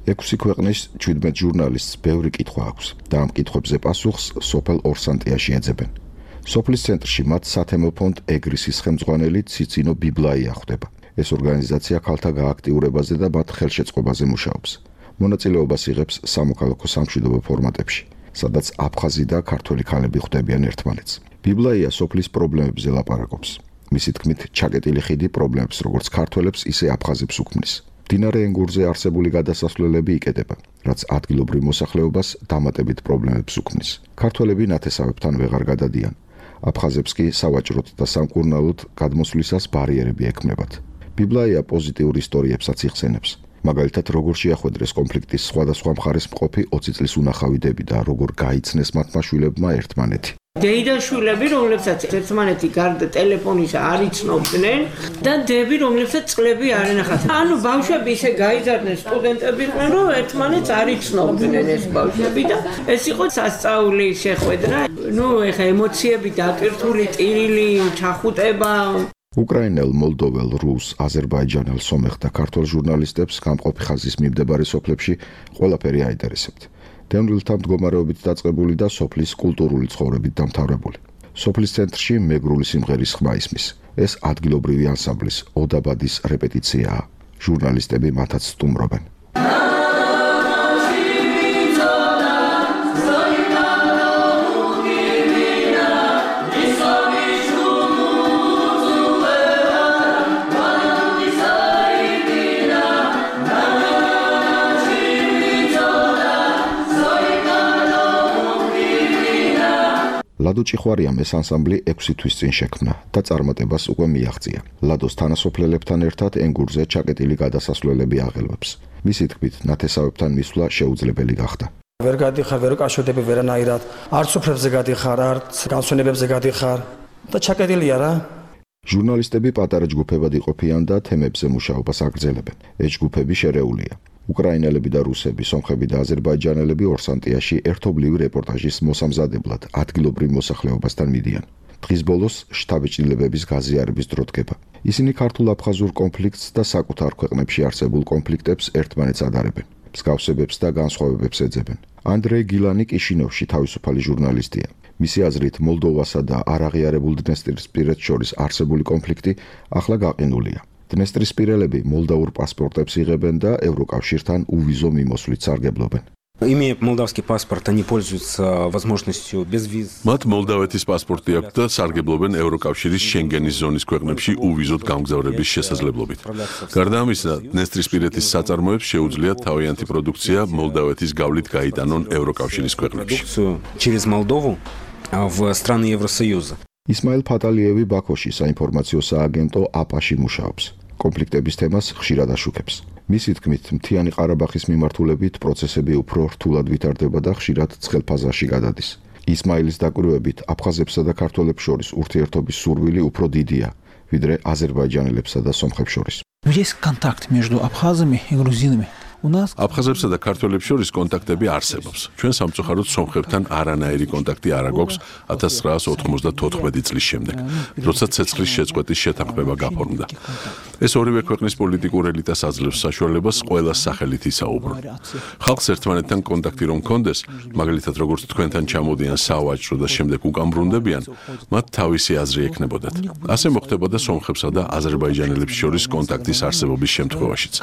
6 ქვეყნის 17 ჟურნალისტს ბევრი კითხვა აქვს და ამ კითხვებზე პასუხს სოფელ ორსანტიაში ეძებენ. სოფლის ცენტრში მათ სათემო ფონდ ეგრისის ხელმძღვანელი ციცინო ბიბლაია ხვდება. ეს ორგანიზაცია ქალთა გააქტიურებაზე და მათ ხელშეწყობაზე მუშაობს. მონაწილეობას იღებს სამოქალაქო სამშვიდობო ფორმატებში, სადაც აფხაზი და ქართველი ქალები ხვდებიან ერთმანეთს. ბიბლაია სოფლის პრობლემებზე ლაპარაკობს. მისი თქმით, ჩაკეტილი ხიდი პრობლემებს როგორც ქართველებს, ისე აფხაზებს უქმნის. მდინარე ენგურზე არსებული გადასასვლელები იკეტება, რაც ადგილობრივ მოსახლეობას დამატებით პრობლემებს უქმნის. ქართველები ნათესავებთან ვეღარ გადადიან. აფხაზებს კი სავაჭროთ და სამკურნალოდ გადმოსვლისას ბარიერები ექმნებათ. ბიბლაია პოზიტიურ ისტორიებსაც იხსენებს. მაგალითად, როგორ შეახვედრეს კონფლიქტის სხვადასხვა მხარეს მყოფი 20 წლის უნახავი დები და როგორ გაიცნეს მათმა შვილებმა ერთმანეთი. დეიდან შვილები, რომლებსაც ერთმანეთი გარდა ტელეფონის არ იცნობდნენ და დები, რომლებსაც წყლები არ ენახათ. ანუ ბავშვები ისე გაიზარდნენ, სტუდენტები იყვნენ, რომ ერთმანეთს არ იცნობდნენ ეს ბავშვები და ეს იყო სასწაული შეხვედრა. ნუ ეხა ემოციები დაკირთული, ტირილი, ჩახუტება. უკრაინელ, მოლდოվել, რუს, აზერბაიჯანელ, სომეხ და ქართველ ჟურნალისტებს გამყოფი ხაზის მიმდებარე სოფლებში ყველაფერი აინტერესებთ. დევნილთა მდგომარეობით დაწყებული და სოფლის კულტურული ცხოვრებით დამთავრებული. სოფლის ცენტრში მეგრული სიმღერის ხმა ისმის. ეს ადგილობრივი ანსამბლის ოდაბადის რეპეტიციაა. ჟურნალისტები მათაც სტუმრობენ. ლადო ჭიხვარიამ ეს ანსამბლი 6 თვის წინ შექმნა და წარმატებას უკვე მიაღწია. ლადოს თანასოფლელებთან ერთად ენგურზე ჩაკეტილი გადასასვლელები აღელვებს. მისი თქმით, ნათესავებთან მისვლა შეუძლებელი გახდა. ვერ გადიხარ, ვერ უკავშირდები ვერანაირად, არც სოფლებზე გადიხარ, არც განსვენებებზე გადიხარ და ჩაკეტილია რა. ჟურნალისტები პატარა ჯგუფებად იყოფიან და თემებზე მუშაობას აგრძელებენ. ეს ჯგუფები შერეულია. უკრაინელები და რუსები, სომხები და აზერბაიჯანელები ორსანტიაში ერთობლივი რეპორტაჟის მოსამზადებლად ადგილობრივ მოსახლეობასთან მიდიან. დღის ბოლოს შთაბეჭდილებების გაზიარების დრო დგება. ისინი ქართულ-აფხაზურ კონფლიქტს და საკუთარ ქვეყნებში არსებულ კონფლიქტებს ერთმანეთს ადარებენ. მსგავსებებს და განსხვავებებს ეძებენ. ანდრეი გილანი კიშინოვში თავისუფალი ჟურნალისტია. მისი აზრით, მოლდოვასა და არაღიარებულ დნესტრისპირეთს შორის არსებული კონფლიქტი ახლა გაყინულია. დნესტრისპირელები მოლდაურ პასპორტებს იღებენ და ევროკავშირთან უვიზო მიმოსვლით სარგებლობენ. Имея молдавский паспорт, они пользуются возможностью без виз. მათ მოლდავეთის პასპორტი აქვს და სარგებლობენ ევროკავშირის შენგენის ზონის ქვეყნებში უვიზოდ გამგზავრების შესაძლებლობით. გარდა ამისა, დნესტრისპირეთის საწარმოებს შეუძლიათ თავიანთი პროდუქცია მოლდავეთის გავლით გაიტანონ ევროკავშირის ქვეყნებში. Через Молдову в страны Евросоюза. ისმაილ ფატალიევი ბაქოში საინფორმაციო სააგენტო აპაში მუშაობს. კონფლიქტების თემას ხშირად აშუქებს. მისი თქმით, მთიანი ყარაბაღის მიმართულებით პროცესები უფრო რთულად ვითარდება და ხშირად ცხელფაზაში გადადის. ისმაილის დაკვირვებით, აფხაზებსა და ქართველებს შორის ურთიერთობის სურვილი უფრო დიდია, ვიდრე აზერბაიჯანელებსა და სომხებს შორის. Есть контакт между абхазами и грузинами. აფხაზებსა და ქართველებს შორის კონტაქტები არსებობს. ჩვენ სამწუხაროდ სომხებთან არანაირი კონტაქტი არ აქვს 1994 წლის შემდეგ, როცა ცეცხლის შეწყვეტის შეთანხმება გაფორმდა. ეს ორივე ქვეყნის პოლიტიკურ ელიტას აძლევს საშუალებას ყველას სახელით ისაუბრო. ხალხს ერთმანეთთან კონტაქტი რომ ჰქონდეს, მაგალითად როგორც თქვენთან ჩამოდიან სავაჭრო და შემდეგ უკან ბრუნდებიან, მათ თავისი აზრი ექნებოდათ. ასე მოხდებოდა სომხებსა და აზერბაიჯანელებს შორის კონტაქტის არსებობის შემთხვევაშიც.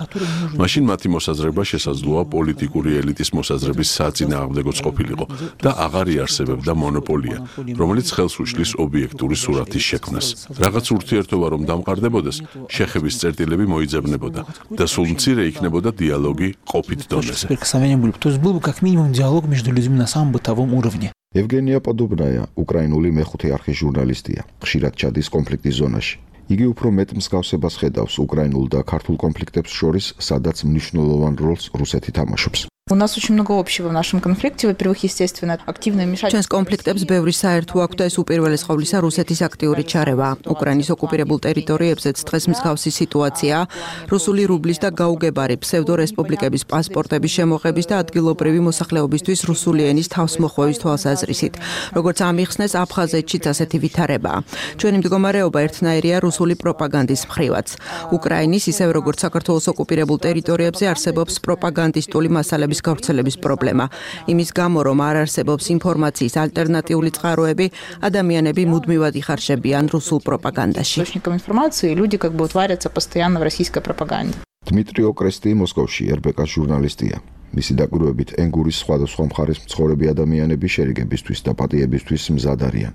მაშინ მათი მოსაზრება შესაძლოა პოლიტიკური ელიტის მოსაზრების საწინააღმდეგოც ყოფილიყო და აღარ იარსებებდა მონოპოლია, რომელიც ხელს უშლის ობიექტური სურათის შექმნას. რაღაც ურთიერთობა რომ დამყარდებოდეს, შეხების წერტილები მოიძებნებოდა და სულ მცირე იქნებოდა დიალოგი ყოფით დონეზე. То есть был бы как минимум диалог между людьми на самом бытовом уровне. ევგენია პოდობნაია, უკრაინული მეხუთე არხის ჟურნალისტია, ხშირად ჩადის კონფლიქტის ზონაში. იგი უფრო მეტ მსგავსებას ხედავს უკრაინულ და ქართულ კონფლიქტებს შორის, სადაც მნიშვნელოვან როლს რუსეთი თამაშობს. У нас очень много общего в нашем конфликте. Во-первых, естественно, активное вмешательство. Ჩვენს კონფლიქტებს ბევრი საერთო აქვს და ეს უპირველეს ყოვლისა რუსეთის აქტიური ჩარევა. უკრაინის ოკუპირებულ ტერიტორიებზეც დღეს მსგავსი სიტუაციაა. რუსული რუბლის და გაუგებარი ფსევდორესპუბლიკების პასპორტების შემოღების და ადგილობრივი მოსახლეობისთვის რუსული ენის თავსმოხვევის თვალსაზრისით. როგორც ამიხსნეს, აფხაზეთშიც ასეთი ვითარებაა. ჩვენი მდგომარეობა ერთნაირია რუსული პროპაგანდის მხრივაც. უკრაინის, ისევე როგორც საქართველოს ოკუპირებულ ტერიტორიებზე არსებობს პროპაგანდისტული მასალების გავრცელების პრობლემა. იმის გამო, რომ არ არსებობს ინფორმაციის ალტერნატიული წყაროები, ადამიანები მუდმივად იხარშებიან რუსულ პროპაგანდაში. Источником информации люди как бы варятся постоянно в российской пропаганде. დმიტრი ოკრესტი მოსკოვში RBK-ს ჟურნალისტია. მისი დაკვირვებით ენგურის სხვადასხვა მხარის მცხოვრები ადამიანები შერიგებისთვის და პატიებისთვის მზად არიან.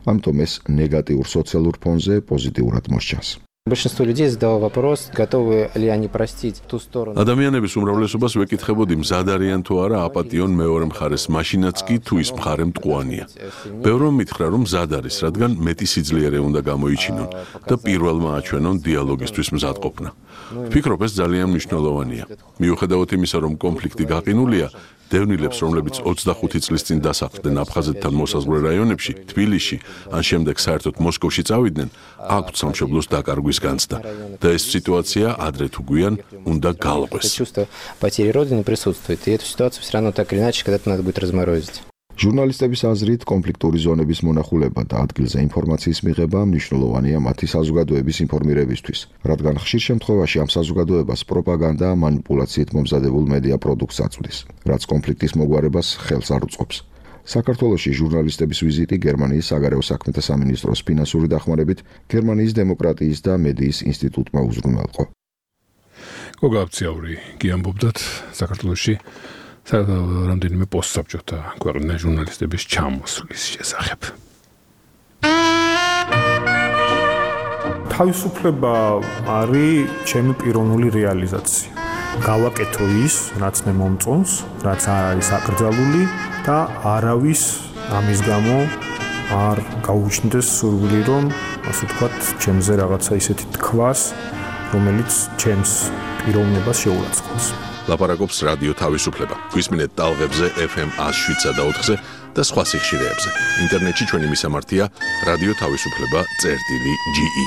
ამიტომ ეს ნეგატიურ სოციალურ ფონზე პოზიტიურად მოსჩანს. Большинство людей задало вопрос, готовы ли они простить ту сторону. ადამიანების უმრავლესობას ვეკითხებოდი, მზად არიან თუ არა აპატიონ მეორე მხარეს, მაშინაც კი თუ ის მხარე მტყუანია. ბევრმა მითხრა, რომ მზად არის, რადგან მეტი სიძლიერე უნდა გამოიჩინონ და პირველმა აჩვენონ დიალოგისთვის მზადყოფნა. ვფიქრობ, ეს ძალიან მნიშვნელოვანია. მიუხედავად იმისა, რომ კონფლიქტი გაყინულია, დევნილებს, რომლებიც 25 წლის წინ დასახლდნენ აფხაზეთთან მოსაზღვრე რაიონებში, თბილისში, ან შემდეგ საერთოდ მოსკოვში წავიდნენ, აქვთ სამშობლოს დაკარგვის განცდა და ეს სიტუაცია ადრე თუ გვიან უნდა გაალყვეს. Чувство потери родины присутствует, и эту ситуацию все равно так или иначе когда-то надо будет разморозить. ჟურნალისტების აზრით, კონფლიქტური ზონების მონახულება და ადგილზე ინფორმაციის მიღება მნიშვნელოვანია მათი საზოგადოების ინფორმირებისთვის, რადგან ხშირ შემთხვევაში ამ საზოგადოებას პროპაგანდა და მანიპულაციით მომზადებულ მედია პროდუქტს აწვდის, რაც კონფლიქტის მოგვარებას ხელს არ უწყობს. საქართველოში ჟურნალისტების ვიზიტი გერმანიის საგარეო საქმეთა სამინისტროს ფინანსური დახმარებით გერმანიის დემოკრატიის და მედიის ინსტიტუტმა უზრუნველყო. გოგაბციაური გიამბობდათ საქართველოში რამდენიმე პოსტსაბჭოთა ქვეყნის ჟურნალისტების ჩამოსვლის შესახებ. თავისუფლება არის ჩემი პიროვნული რეალიზაცია. გავაკეთო ის, რაც მე მომწონს, რაც არ არის აკრძალული და არავის ამის გამო არ გაუჩნდეს სურვილი, რომ ასე ვთქვათ, ჩემზე რაღაცა ისეთი თქვას, რომელიც ჩემს პიროვნებას შეურაცხყოფს. ლაპარაკობს რადიო თავისუფლება. გვისმინეთ ტალღებზე FM 107.4-ზე და სხვა სიხშირეებზე. ინტერნეტში ჩვენი მისამართია რადიო თავისუფლება.ge.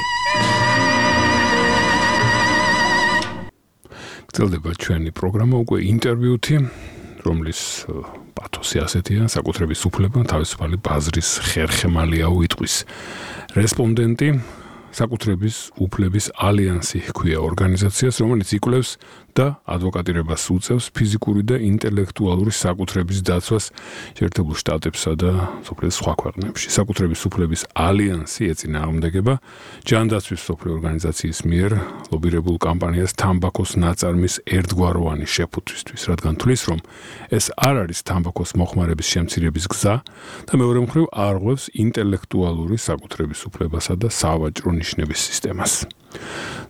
გრძელდება ჩვენი პროგრამა უკვე ინტერვიუთი, რომლის პათოსი ასეთია, საკუთრების უფლება თავისუფალი ბაზრის ხერხემალია უიტყვის. რესპონდენტი საკუთრების უფლების ალიანსი ჰქვია ორგანიზაციას, რომელიც იკვლევს და ადვოკატირებას უწევს ფიზიკური და ინტელექტუალური საკუთრების დაცვას შეერთებულ შტატებსა და სოფლის სხვა ქვეყნებში. საკუთრების უფლების ალიანსი ეწინააღმდეგება ჯანდაცვის სოფლის ორგანიზაციის მიერ ლობირებულ კამპანიას თამბაქოს ნაწარმის ერთგვაროვანი შეფუთვისთვის, რადგან თვლის, რომ ეს არ არის თამბაქოს მოხმარების შემცირების გზა და მეორე მხრივ არღვევს ინტელექტუალური საკუთრების უფლებასა და სავაჭრო ნიშნების სისტემას.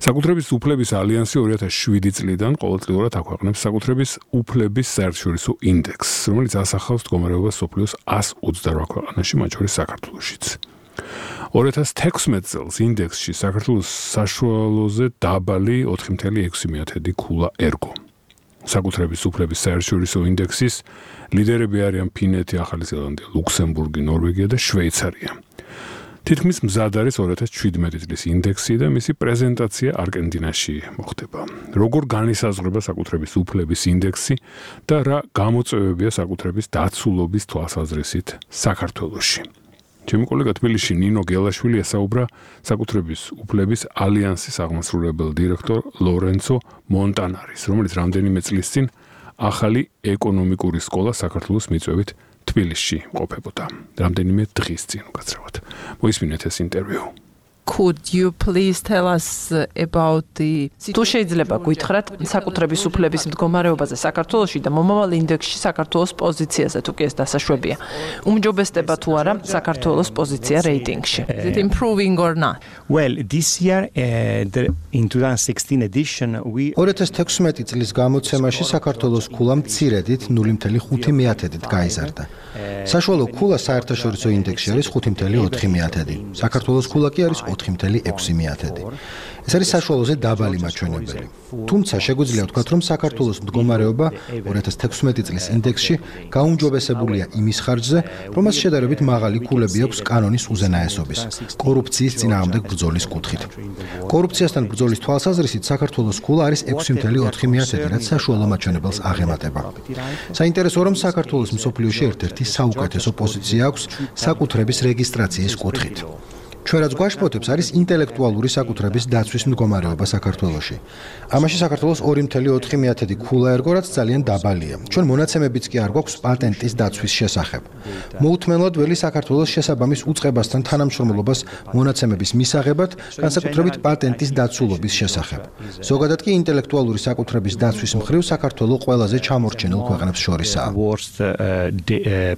საკუთრების უფლების ალიანსი 2007 წლიდან ყოველწლიურად აქვეყნებს საკუთრების უფლების საერთაშორისო ინდექსს, რომელიც ასახავს მდგომარეობას სოფლიოს 128 ქვეყანაში, მათ შორის საქართველოშიც. 2016 წელს ინდექსში საქართველოს საშუალოზე დაბალი 4.6 ქულა ერგო. საკუთრების უფლების საერთაშორისო ინდექსის ლიდერები არიან ფინეთი, ახალი ზელანდია, ლუქსემბურგი, ნორვეგია და შვეიცარია. თითქმის მზად არის 2017 წლის ინდექსი და მისი პრეზენტაცია არგენტინაში მოხდება. როგორ განისაზღვრება საკუთრების უფლების ინდექსი და რა გამოწვევებია საკუთრების დაცულობის თვალსაზრისით საქართველოში. ჩემი კოლეგა თბილისში ნინო გელაშვილი ესაუბრა საკუთრების უფლების ალიანსის აღმასრულებელ დირექტორ ლორენცო მონტანარის, რომელიც რამდენიმე წლის წინ ახალი ეკონომიკური სკოლა საქართველოს მიწვევით თბილისში ყოფებოდა. რამდენიმე დღის წინ უკაცრავად. მოისმინეთ ეს ინტერვიუ. Could you please tell us about the თუ შეიძლება გითხრათ საკუთრების უფლების მდგომარეობაზე საქართველოში და მომავალ ინდექსში საქართველოს პოზიციაზე თუ კი ეს დასაშვებია. უმჯობესდება თუ არა საქართველოს პოზიცია რეიტინგში. Is it improving or not? Well, this year in 2016 edition we 2016 წლის გამოცემაში საქართველოს ქულა მცირედით 0.5%-ით გაიზარდა. საშუალო ქულა საერთაშორისო ინდექსში არის 5.4%. საქართველოს ქულა კი არის 4.6%. ეს არის საშუალოზე დაბალი მაჩვენებელი. თუმცა შეგვიძლია ვთქვათ, რომ საქართველოს მდგომარეობა 2016 წლის ინდექსში გაუმჯობესებულია იმის ხარჯზე, რომ მას შედარებით მაღალი ქულები აქვს კანონის უზენაესობის, კორუფციის წინააღმდეგ ბრძოლის კუთხით. კორუფციასთან ბრძოლის თვალსაზრისით საქართველოს ქულა არის 6.4%, რაც საშუალო მაჩვენებელს აღემატება. საინტერესოა, რომ საქართველოს მსოფლიოში ერთ-ერთი საუკეთესო პოზიცია აქვს საკუთრების რეგისტრაციის კუთხით. ჩვენ რაც გვაშფოთებს არის ინტელექტუალური საკუთრების დაცვის მდგომარეობა საქართველოში. ამაში საქართველოს 2.4% ქულა ერგო, რაც ძალიან დაბალია. ჩვენ მონაცემებიც კი არ გვაქვს პატენტის დაცვის შესახებ. მოუთმენლად ველი საქართველოს შესაბამის უწყებასთან თანამშრომლობას მონაცემების მისაღებად, განსაკუთრებით პატენტის დაცულობის შესახებ. ზოგადად კი ინტელექტუალური საკუთრების დაცვის მხრივ საქართველო ყველაზე ჩამორჩენილ ქვეყნებს შორისაა. worst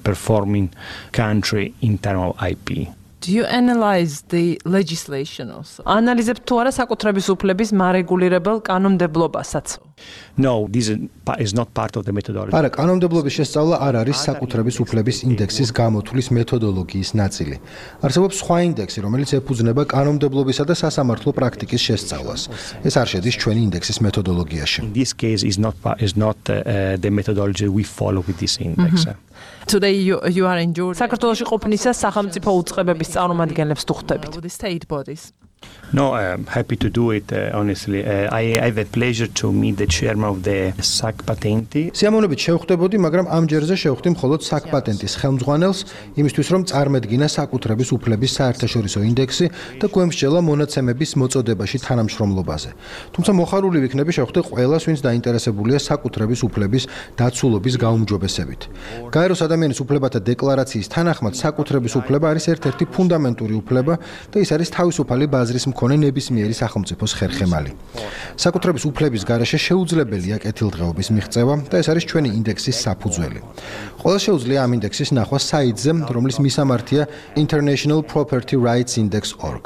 performing country in terms of IP. Do you analyze the legislation also? Ანალიზებთ თუ არა საკუთრების უფლების მარეგულირებელ კანონმდებლობასაც? No, this is not part of the methodology. არა, კანონმდებლობის შესწავლა არ არის საკუთრების უფლების ინდექსის გამოთვლის მეთოდოლოგიის ნაწილი. არსებობს სხვა ინდექსი, რომელიც ეფუძნება კანონმდებლობისა და სასამართლო პრაქტიკის შესწავლას. ეს არ შედის ჩვენი ინდექსის მეთოდოლოგიაში. In this case is not the methodology we follow with this index. Today you are in Georgia. საქართველოში ყოფნისას სახელმწიფო უწყებების წარმომადგენლებს თუ ხვდებით? The state bodies. No, I'm happy to do it. Honestly, I have a pleasure to meet the chairman of the SAC Patenti. სიამოვნებით შევხვდებოდი, მაგრამ ამ ჯერზე შევხვდი მხოლოდ SAC Patenti-ის ხელმძღვანელს, იმისთვის რომ წარმედგინა საკუთრების უფლების საერთაშორისო ინდექსი და გვემსჯელა მონაცემების მოწოდებაში თანამშრომლობაზე. თუმცა მოხარული ვიქნები შევხვდე ყველას, ვინც დაინტერესებულია საკუთრების უფლების დაცულობის გაუმჯობესებით. გაეროს ადამიანის უფლებათა დეკლარაციის თანახმად საკუთრების უფლება არის ერთ-ერთი ფუნდამენტური უფლება და ის არის თავისუფალი ბაზრის მქონე ნებისმიერი სახელმწიფოს ხერხემალი. საკუთრების უფლების გარეშე შეუძლებელია კეთილდღეობის მიღწევა და ეს არის ჩვენი ინდექსის საფუძველი. ყველა შეუძლია ამ ინდექსის ნახვა საიტზე, რომლის მისამართია International Property Rights Index.org.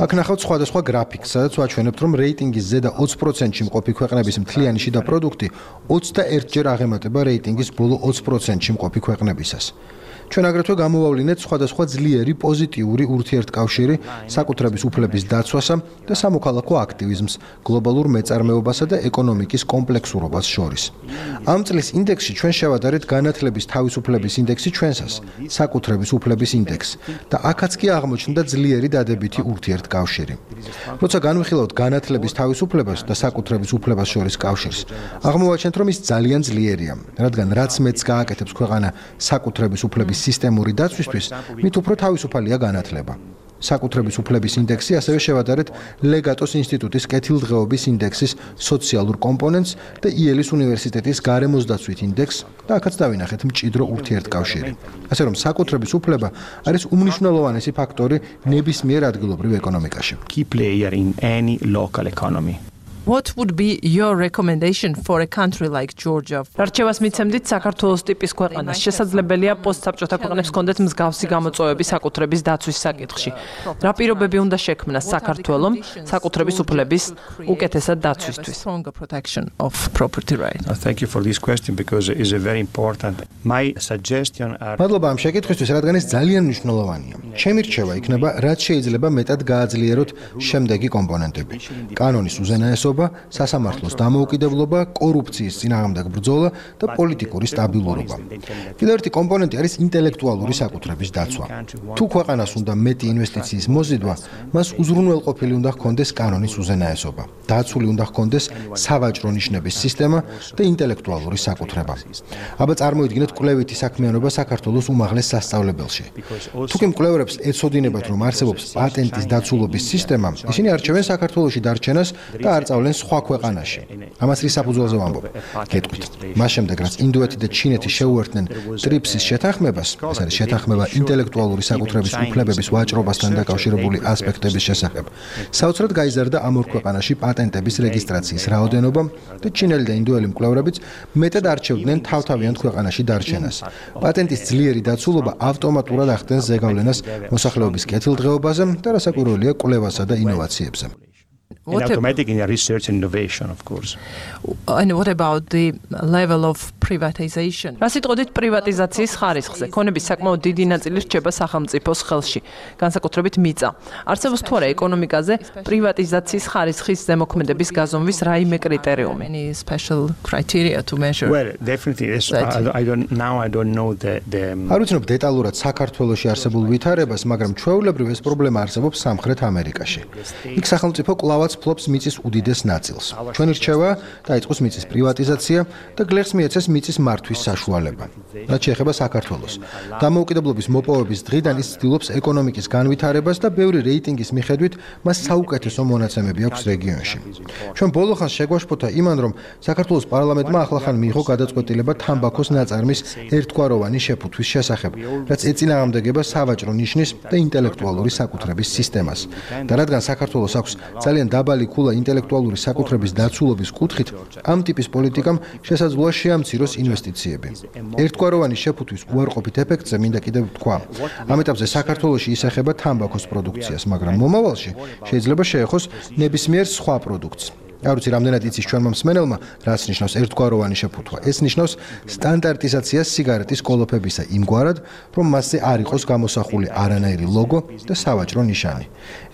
აქ ნახავთ სხვადასხვა გრაფიკს, სადაც ვაჩვენებთ, რომ რეიტინგის ზედა 20%-ში მყოფი ქვეყნების მთლიანი შიდა პროდუქტი 21-ჯერ აღემატება რეიტინგის ბოლო 20%-ში მყოფი ქვეყნებისას. ჩვენ აგრეთვე გამოვავლინეთ სხვადასხვა ძლიერი პოზიტიური ურთიერთკავშირი საკუთრების უფლების დაცვასა და სამოქალაქო აქტივიზმს, გლობალურ მეწარმეობასა და ეკონომიკის კომპლექსურობას შორის. ამ წლის ინდექსში ჩვენ შევადარეთ განათლების თავისუფლების ინდექსი ჩვენსას, საკუთრების უფლების ინდექსი და აქაც კი აღმოჩნდა ძლიერი დადებითი ურთიერთკავშირი. როცა განვიხილავთ განათლების თავისუფლებას და საკუთრების უფლებას შორის კავშირს, აღმოვაჩენთ, რომ ის ძალიან ძლიერია, რადგან რაც მეც გააკეთებს ქვეყანა საკუთრების უფლების სისტემური დაცვისთვის, მით უფრო თავისუფალია განათლება. საკუთრების უფლების ინდექსი ასევე შევადარეთ ლეგატოს ინსტიტუტის კეთილდღეობის ინდექსის სოციალურ კომპონენტს და იელის უნივერსიტეტის გარემოსდაცვით ინდექსს და აქაც დავინახეთ მჭიდრო ურთიერთკავშირი. ასე რომ საკუთრების უფლება არის უმნიშვნელოვანესი ფაქტორი ნებისმიერ ადგილობრივ ეკონომიკაში. Key player in any local economy. What would be your recommendation for a country like Georgia? რჩევას მიცემდით საქართველოს ტიპის ქვეყანას. შესაძლებელია პოსტსაბჭოთა ქვეყნებს კონდეთ მსგავსი გამოწვევები საკუთრების დაცვის საკითხში. რა პირობები უნდა შექმნას საქართველომ საკუთრების უფლების უკეთესად დაცვისთვის? Stronger protection of property rights. Thank you for this question because it is very important. My suggestion are მადლობა ამ შეკითხვისთვის, რადგან ეს ძალიან მნიშვნელოვანია. ჩემი რჩევა იქნება, რაც შეიძლება მეტად გააძლიეროთ შემდეგი კომპონენტები. კანონის უზენაესობა, სასამართლოს დამოუკიდებლობა, კორუფციის წინააღმდეგ ბრძოლა და პოლიტიკური სტაბილურობა. კიდევ ერთი კომპონენტი არის ინტელექტუალური საკუთრების დაცვა. თუ ქვეყანას უნდა მეტი ინვესტიციის მოზიდვა, მას უზრუნველყოფილი უნდა ჰქონდეს კანონის უზენაესობა. დაცული უნდა ჰქონდეს სავაჭრო ნიშნების სისტემა და ინტელექტუალური საკუთრება. აბა წარმოიდგინეთ კვლევითი საქმიანობა საქართველოს უმაღლეს სასწავლებელში. თუ კი მკვლევარებს ეცოდინებათ, რომ არსებობს პატენტის დაცულობის სისტემა, ისინი არჩევენ საქართველოში დარჩენას და არ წავლენ სხვა ქვეყანაში. ამას რის საფუძველზე ვამბობ? გეტყვით. მას შემდეგ, რაც ინდოეთი და ჩინეთი შეუერთდნენ ტრიპსის შეთანხმებას, ეს არის შეთანხმება ინტელექტუალური საკუთრების უფლებების ვაჭრობასთან დაკავშირებული ასპექტების შესახებ, საოცრად გაიზარდა ამ ორ ქვეყანაში პატენტების რეგისტრაციის რაოდენობა და ჩინელი და ინდოელი მკვლევარებიც მეტად არჩევდნენ თავთავიანთ ქვეყანაში დარჩენას. პატენტის ძლიერი დაცულობა ავტომატურად ახდენს ზეგავლენას მოსახლეობის კეთილდღეობაზე და რასაკვირველია კვლევასა და ინოვაციებზე. And automatic in research and innovation, of course. And what about the level of privatization? რა სიტყვით პრივატიზაციის ხარისხზე? ქონების საკმაოდ დიდი ნაწილი რჩება სახელმწიფოს ხელში, განსაკუთრებით მიწა. არსებობს თუ არა ეკონომიკაზე პრივატიზაციის ხარისხის ზემოქმედების გაზომვის რაიმე კრიტერიუმი? Any special criteria to measure? Well, definitely this, I don't know the არ ვიცნობ დეტალურად საქართველოში არსებულ ვითარებას, მაგრამ ჩვეულებრივ ეს პრობლემა არსებობს სამხრეთ ამერიკაში. იქ სახელმწიფო კლავაც ფლობს მიწის უდიდეს ნაწილს. ჩვენი რჩევა დაიწყოს მიწის პრივატიზაცია და გლეხს მიეცეს მიწის მართვის საშუალება. რაც შეეხება საქართველოს. დამოუკიდებლობის მოპოვების დღიდან ის ცდილობს ეკონომიკის განვითარებას და ბევრი რეიტინგის მიხედვით მას საუკეთესო მონაცემები აქვს რეგიონში. ჩვენ ბოლოხანს შეგვაშფოთა იმან, რომ საქართველოს პარლამენტმა ახლახან მიიღო გადაწყვეტილება თამბაქოს ნაწარმის ერთგვაროვანი შეფუთვის შესახებ, რაც ეწინააღმდეგება სავაჭრო ნიშნის და ინტელექტუალური საკუთრების სისტემას. და რადგან საქართველოს აქვს ძალიან დაბალი ქულა ინტელექტუალური საკუთრების დაცულობის კუთხით, ამ ტიპის პოლიტიკამ შესაძლოა შეამციროს ინვესტიციები. ერთგვაროვანი შეფუთვის უარყოფით ეფექტზე მინდა კიდევ ვთქვა. ამ ეტაპზე საქართველოში ისახება თამბაქოს პროდუქციას, მაგრამ მომავალში შეიძლება შეეხოს ნებისმიერ სხვა პროდუქტს. არ ვიცი, რამდენად იცის ჩვენმა მსმენელმა, რაც ნიშნავს ერთგვაროვანი შეფუთვა. ეს ნიშნავს სტანდარტიზაციას სიგარეტის კოლოფებისა იმგვარად, რომ მასზე არ იყოს გამოსახული არანაირი ლოგო და სავაჭრო ნიშანი.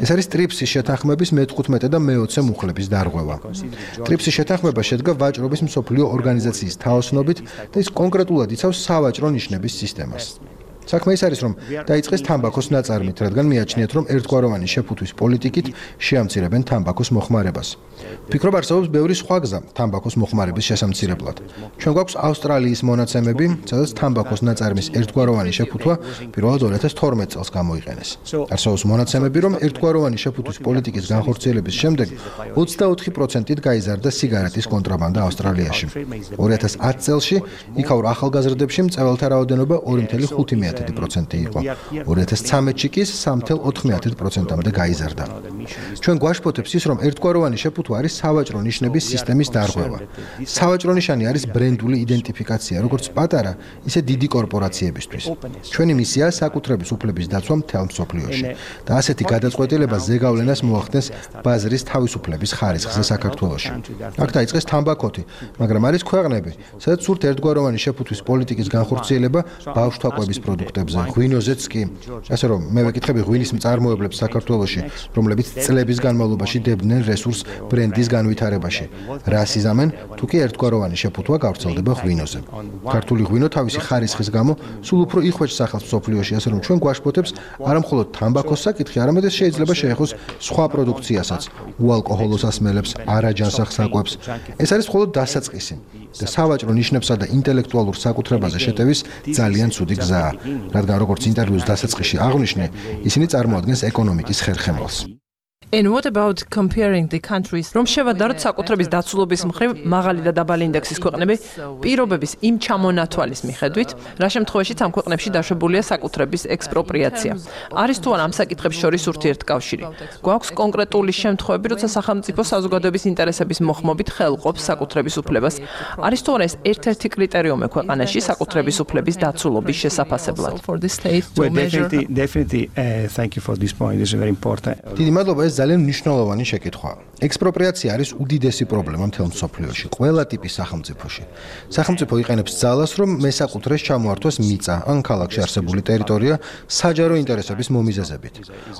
ეს არის ტრიპსის შეთანხმების მე-15 და მე-20 მუხლების დარღვევა. ტრიპსის შეთანხმება შედგა ვაჭრობის მსოფლიო ორგანიზაციის თაოსნობით და ის კონკრეტულად იცავს სავაჭრო ნიშნების სისტემას. საქმე ის არის, რომ დაიწყეს თამბაქოს ნაწარმით, რადგან მიაჩნიათ, რომ ერთგვაროვანი შეფუთვის პოლიტიკით შეამცირებენ თამბაქოს მოხმარებას. ვფიქრობ, არსებობს ბევრი სხვა გზა თამბაქოს მოხმარების შესამცირებლად. ჩვენ გვაქვს ავსტრალიის მონაცემები, სადაც თამბაქოს ნაწარმის ერთგვაროვანი შეფუთვა პირველად 2012 წელს გამოიყენეს. არსებობს მონაცემები, რომ ერთგვაროვანი შეფუთვის პოლიტიკის განხორციელების შემდეგ 24%-ით გაიზარდა სიგარეტის კონტრაბანდა ავსტრალიაში. 2010 წელში იქაურ ახალგაზრდებში მწვავეთა რაოდენობა 2.5% იყო. 2013-ში კი 3.4%-მდე გაიზარდა. ჩვენ გვაშფოთებს ის, რომ ერთგვაროვანი შეფუთვა არის სავაჭრო ნიშნების სისტემის დარღვევა. სავაჭრო ნიშანი არის ბრენდული იდენტიფიკაცია, როგორც პატარა, ისე დიდი კორპორაციებისთვის. ჩვენი მისია საკუთრების უფლების დაცვა მთელ მსოფლიოში და ასეთი გადაწყვეტილება ზეგავლენას მოახდენს ბაზრის თავისუფლების ხარისხზე საქართველოში. აქ დაიწყეს თამბაქოთი, მაგრამ არის ქვეყნები, სადაც სურთ ერთგვაროვანი შეფუთვის პოლიტიკის განხორციელება ბავშვთაყვების პროდუქტებზე, ღვინოზეც კი. ასე რომ, მე ვეკითხები ღვინის მწარმოებლებს საქართველოში, რომლებიც წლების განმავლობაში დებდნენ რესურს ბრენდის განვითარებაში. რას იზამენ, თუ კი ერთგვაროვანი შეფუთვა გავრცელდება ღვინოზე. ქართული ღვინო თავისი ხარისხის გამო სულ უფრო იხვეჭს სახელს მსოფლიოში, ასე რომ ჩვენ გვაშფოთებს არა მხოლოდ თამბაქოს საკითხი, არამედ ეს შეიძლება შეეხოს სხვა პროდუქციასაც, უალკოჰოლო სასმელებს, არაჯანსაღ საკვებს. ეს არის მხოლოდ დასაწყისი და სავაჭრო ნიშნებსა და ინტელექტუალურ საკუთრებაზე შეტევის ძალიან ცუდი გზაა, რადგან როგორც ინტერვიუს დასაწყისში აღვნიშნე, ისინი წარმოადგენს ეკონომიკის ხერხემალს. And what about comparing the countries? რომ შევადაროთ საკუთრების დაცულობის მხრივ მაღალი და დაბალი ინდექსის ქვეყნები პირობების იმ ჩამონათვალის მიხედვით, რა შემთხვევაშიც ამ ქვეყნებში დაშვებულია საკუთრების ექსპროპრიაცია. არის თუ არა ამ საკითხებს შორის ურთიერთკავშირი? გვაქვს კონკრეტული შემთხვევები, როცა სახელმწიფო საზოგადოების ინტერესების მოხმობით ხელყოფს საკუთრების უფლებას. არის თუ არა ეს ერთ-ერთი კრიტერიუმი ქვეყანაში საკუთრების უფლების დაცულობის შესაფასებლად? Well, definitely thank you for this point. It's very important. დიდი მადლობა, ეს ძალიან მნიშვნელოვანი შეკითხვაა. ექსპროპრიაცია არის უდიდესი პრობლემა მთელ მსოფლიოში, ყველა ტიპის სახელმწიფოში. სახელმწიფო იყენებს ძალას, რომ მესაკუთრეს ჩამოართვას მიწა ან ქალაქში არსებული ტერიტორია საჯარო ინტერესების მომიზეზებით.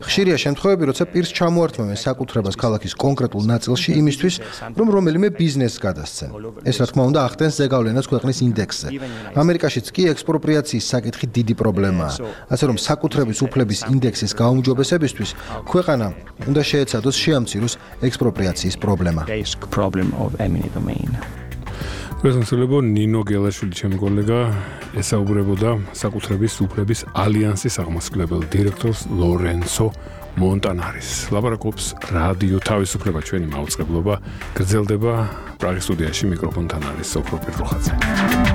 ხშირია შემთხვევები, როცა პირს ჩამოართვა მესაკუთრებას ქალაქის კონკრეტულ ნაწილში იმისთვის, რომ რომელიმე ბიზნესს გადასცენ. ეს რა თქმა უნდა ახდენს ზეგავლენას ქვეყნის ინდექსზე. ამერიკაშიც კი ექსპროპრიაციის საკითხი დიდი პრობლემაა. ასე რომ საკუთრების უფლების ინდექსის გაუმჯობესებისთვის ქვეყანა უნდა შეეცადოს შეამციროს ექსპროპრიაციის პრობლემა. გესმისლებო ნინო გელაშვილი ჩემი კოლეგა ესაუბრებოდა საკუთრების უფლების ალიანსის აღმასრულებელ დირექტორს ლორენცო მონტანარის. ლაპარაკობს რადიო თავისუფლება ჩვენი მაუწყებლობა გრძელდება პრაღის სტუდიაში მიკროფონთან არის სოფრო პირდროხაძე.